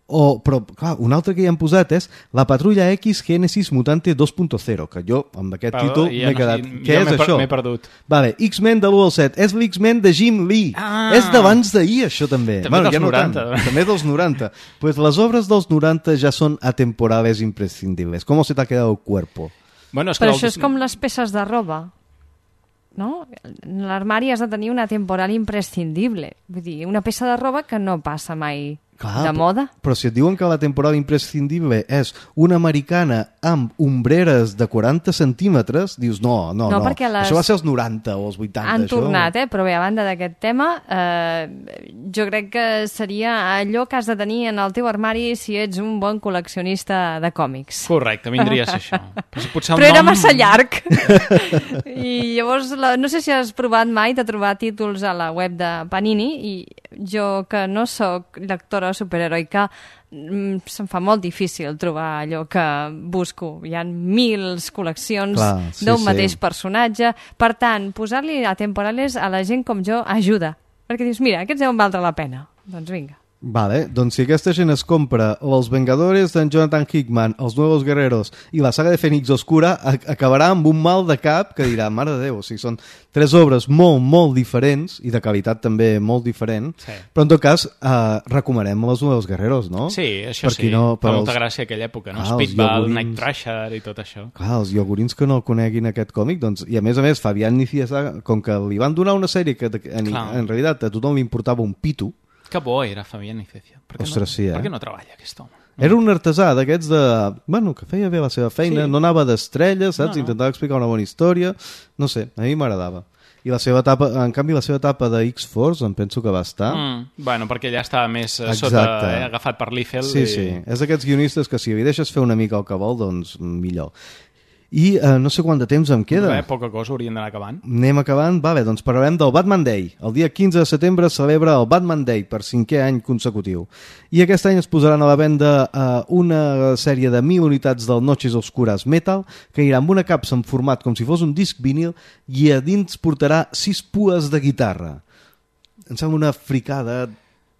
Però, clar, un altre que hi han posat és La Patrulla X Genesis Mutante 2.0, que jo, amb aquest títol, m'he quedat... Què és això? M'he perdut. Vale, X-Men de l'1 al 7. És l'X-Men de Jim Lee. És d'abans d'ahir, això també. També dels 90. També dels 90. Pues les obres dels 90 ja són atemporales imprescindibles. ¿Cómo se te ha quedado el cuerpo? Bueno, però això és com les peces de roba, no? En l'armari has de tenir una temporal imprescindible. Vull dir, una peça de roba que no passa mai de moda. Però si et diuen que la temporada imprescindible és una americana amb ombreres de 40 centímetres, dius no, això va ser els 90 o els 80. Han tornat, però bé, a banda d'aquest tema, jo crec que seria allò que has de tenir en el teu armari si ets un bon col·leccionista de còmics. Correcte, vindria a ser això. Però era massa llarg. I llavors, no sé si has provat mai de trobar títols a la web de Panini, i jo, que no sóc lectora superheroica, se'm fa molt difícil trobar allò que busco. Hi ha mils col·leccions d'un mateix personatge. Per tant, posar-li a temporales a la gent com jo ajuda. Perquè dius, mira, aquests deuen valdre la pena. Doncs vinga. Vale, doncs si aquesta gent es compra Els Vengadores d'en Jonathan Hickman, Els Nuevos Guerreros i la saga de Fènix Oscura, acabarà amb un mal de cap que dirà, mare de Déu, o sigui, són 3 obres molt, molt diferents i de qualitat també molt diferent, però en tot cas recomanem Els Nuevos Guerreros, no? Sí, això sí, fa molta gràcia aquella època, no? Speedball, Night Thrasher i tot això. Clar, els iogurins que no coneguin aquest còmic, doncs, i a més, Fabián Nicieza, com que li van donar una sèrie que en realitat a tothom li importava un pito. Que bo era Fabián Nicieza. Ostres, sí, Per què no treballa aquest home? Era un artesà d'aquests de... Bueno, que feia bé la seva feina, no anava d'estrelles, saps? Intentava explicar una bona història. No sé, a mi m'agradava. I la seva etapa, en canvi, la seva etapa de X-Force, em penso que va estar... Bueno, perquè ja estava més sota, agafat per Liefeld. Sí, sí. És d'aquests guionistes que si li deixes fer una mica el que vol, doncs millor. I no sé quant de temps em queda. Poca cosa, hauríem d'anar acabant. Anem acabant? Vale, doncs parlarem del Batman Day. El dia 15 de setembre es celebra el Batman Day per 5è any consecutiu. I aquest any es posaran a la venda una sèrie de 1.000 unitats del Noches Oscuras Metal, que irà amb una capsa en format com si fos un disc vinil i a dins portarà 6 pues de guitarra. Em sembla una fricada...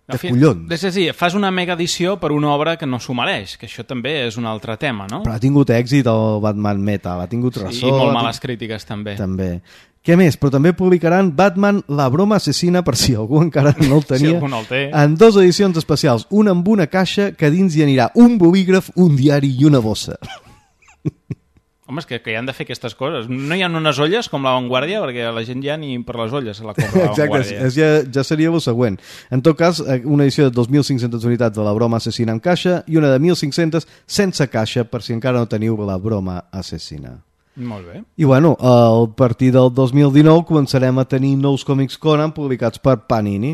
de collons. És a dir, fas una mega edició per una obra que no s'ho mereix, que això també és un altre tema, no? Però ha tingut èxit el Batman Metal, ha tingut ressò... I molt males crítiques, també. També. Què més? Però també publicaran Batman, la broma assassina, per si algú encara no el tenia, si algú no el té. En 2 edicions especials, una amb una caixa que dins hi anirà un bolígraf, un diari i una bossa. Home, és que hi han de fer aquestes coses. No hi ha unes olles com la Vanguardia, perquè la gent ja ni per les olles se la compra la Vanguardia. Exacte, ja seria el següent. En tot cas, una edició de 2.500 unitats de la broma assassina amb caixa i una de 1.500 sense caixa, per si encara no teniu la broma assassina. Molt bé. I bueno, a partir del 2019 començarem a tenir nous còmics Conan publicats per Panini.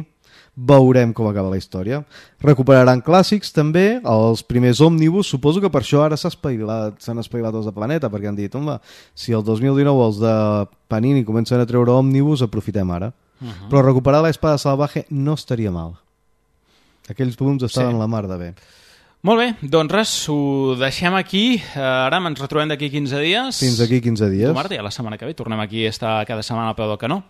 Veurem com acaba la història. Recuperaran clàssics també, els primers òmnibus. Suposo que per això ara s'han espavilat els de Planeta, perquè han dit, home, si el 2019 els de Panini comencen a treure òmnibus, aprofitem ara. Però recuperar l'Espada Salvaje no estaria mal. Aquells volums estaven la mar de bé. Molt bé, doncs res, ho deixem aquí. Ara ens retrobem d'aquí 15 dies. Fins aquí 15 dies. Marta, ja la setmana que ve tornem aquí a estar cada setmana al peu del canó.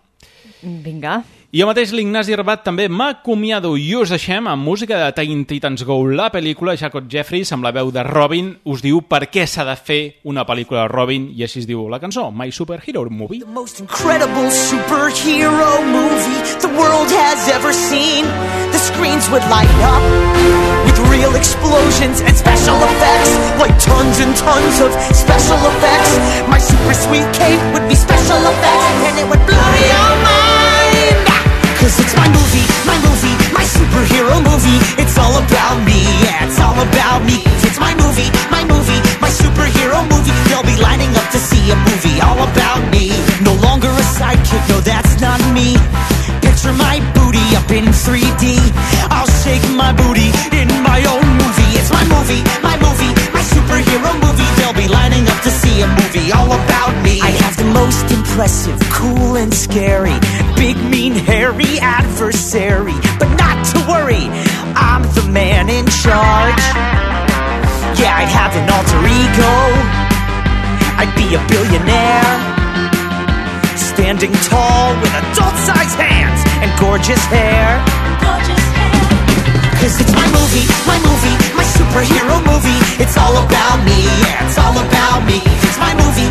Vinga. I jo mateix, l'Ignasi Arbat, també m'acomiado i us deixem amb música de Teen Titans Go, la pel·lícula. Jacob Jeffries, amb la veu de Robin, us diu per què s'ha de fer una pel·lícula de Robin, i així es diu la cançó, My Superhero Movie. The most incredible superhero movie the world has ever seen. The screens would light up with real explosions and special effects, like tons and tons of special effects. My super sweet cape would be special effects, and it would blow your mind. Cause it's my movie, my superhero movie. It's all about me, yeah, it's all about me. It's my movie, my superhero movie. They'll be lining up to see a movie all about me. No longer a sidekick, no, that's not me. Picture my booty up in 3D. I'll shake my booty in my own movie. It's my movie, my superhero movie. They'll be lining up to see a movie all about me. I have the most impressive, cool and scary, big, mean, hairy adversary. But not to worry, I'm the man in charge. Yeah, I'd have an alter ego. I'd be a billionaire, standing tall with adult-sized hands and gorgeous hair. Cause it's my movie, my superhero movie. It's all about me, yeah, it's all about me. It's my movie,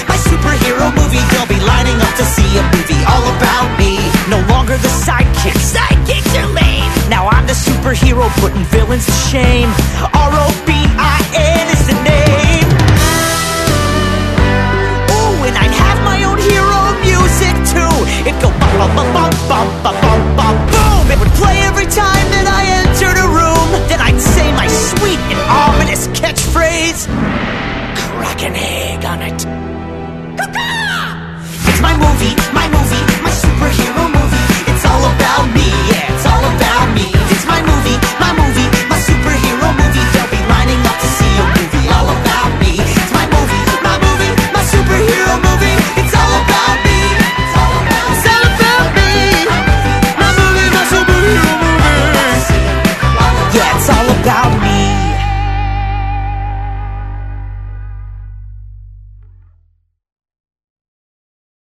my superhero movie. They'll be lining up to see a movie all about me. No longer the sidekicks are lame. Now I'm the superhero putting villains to shame.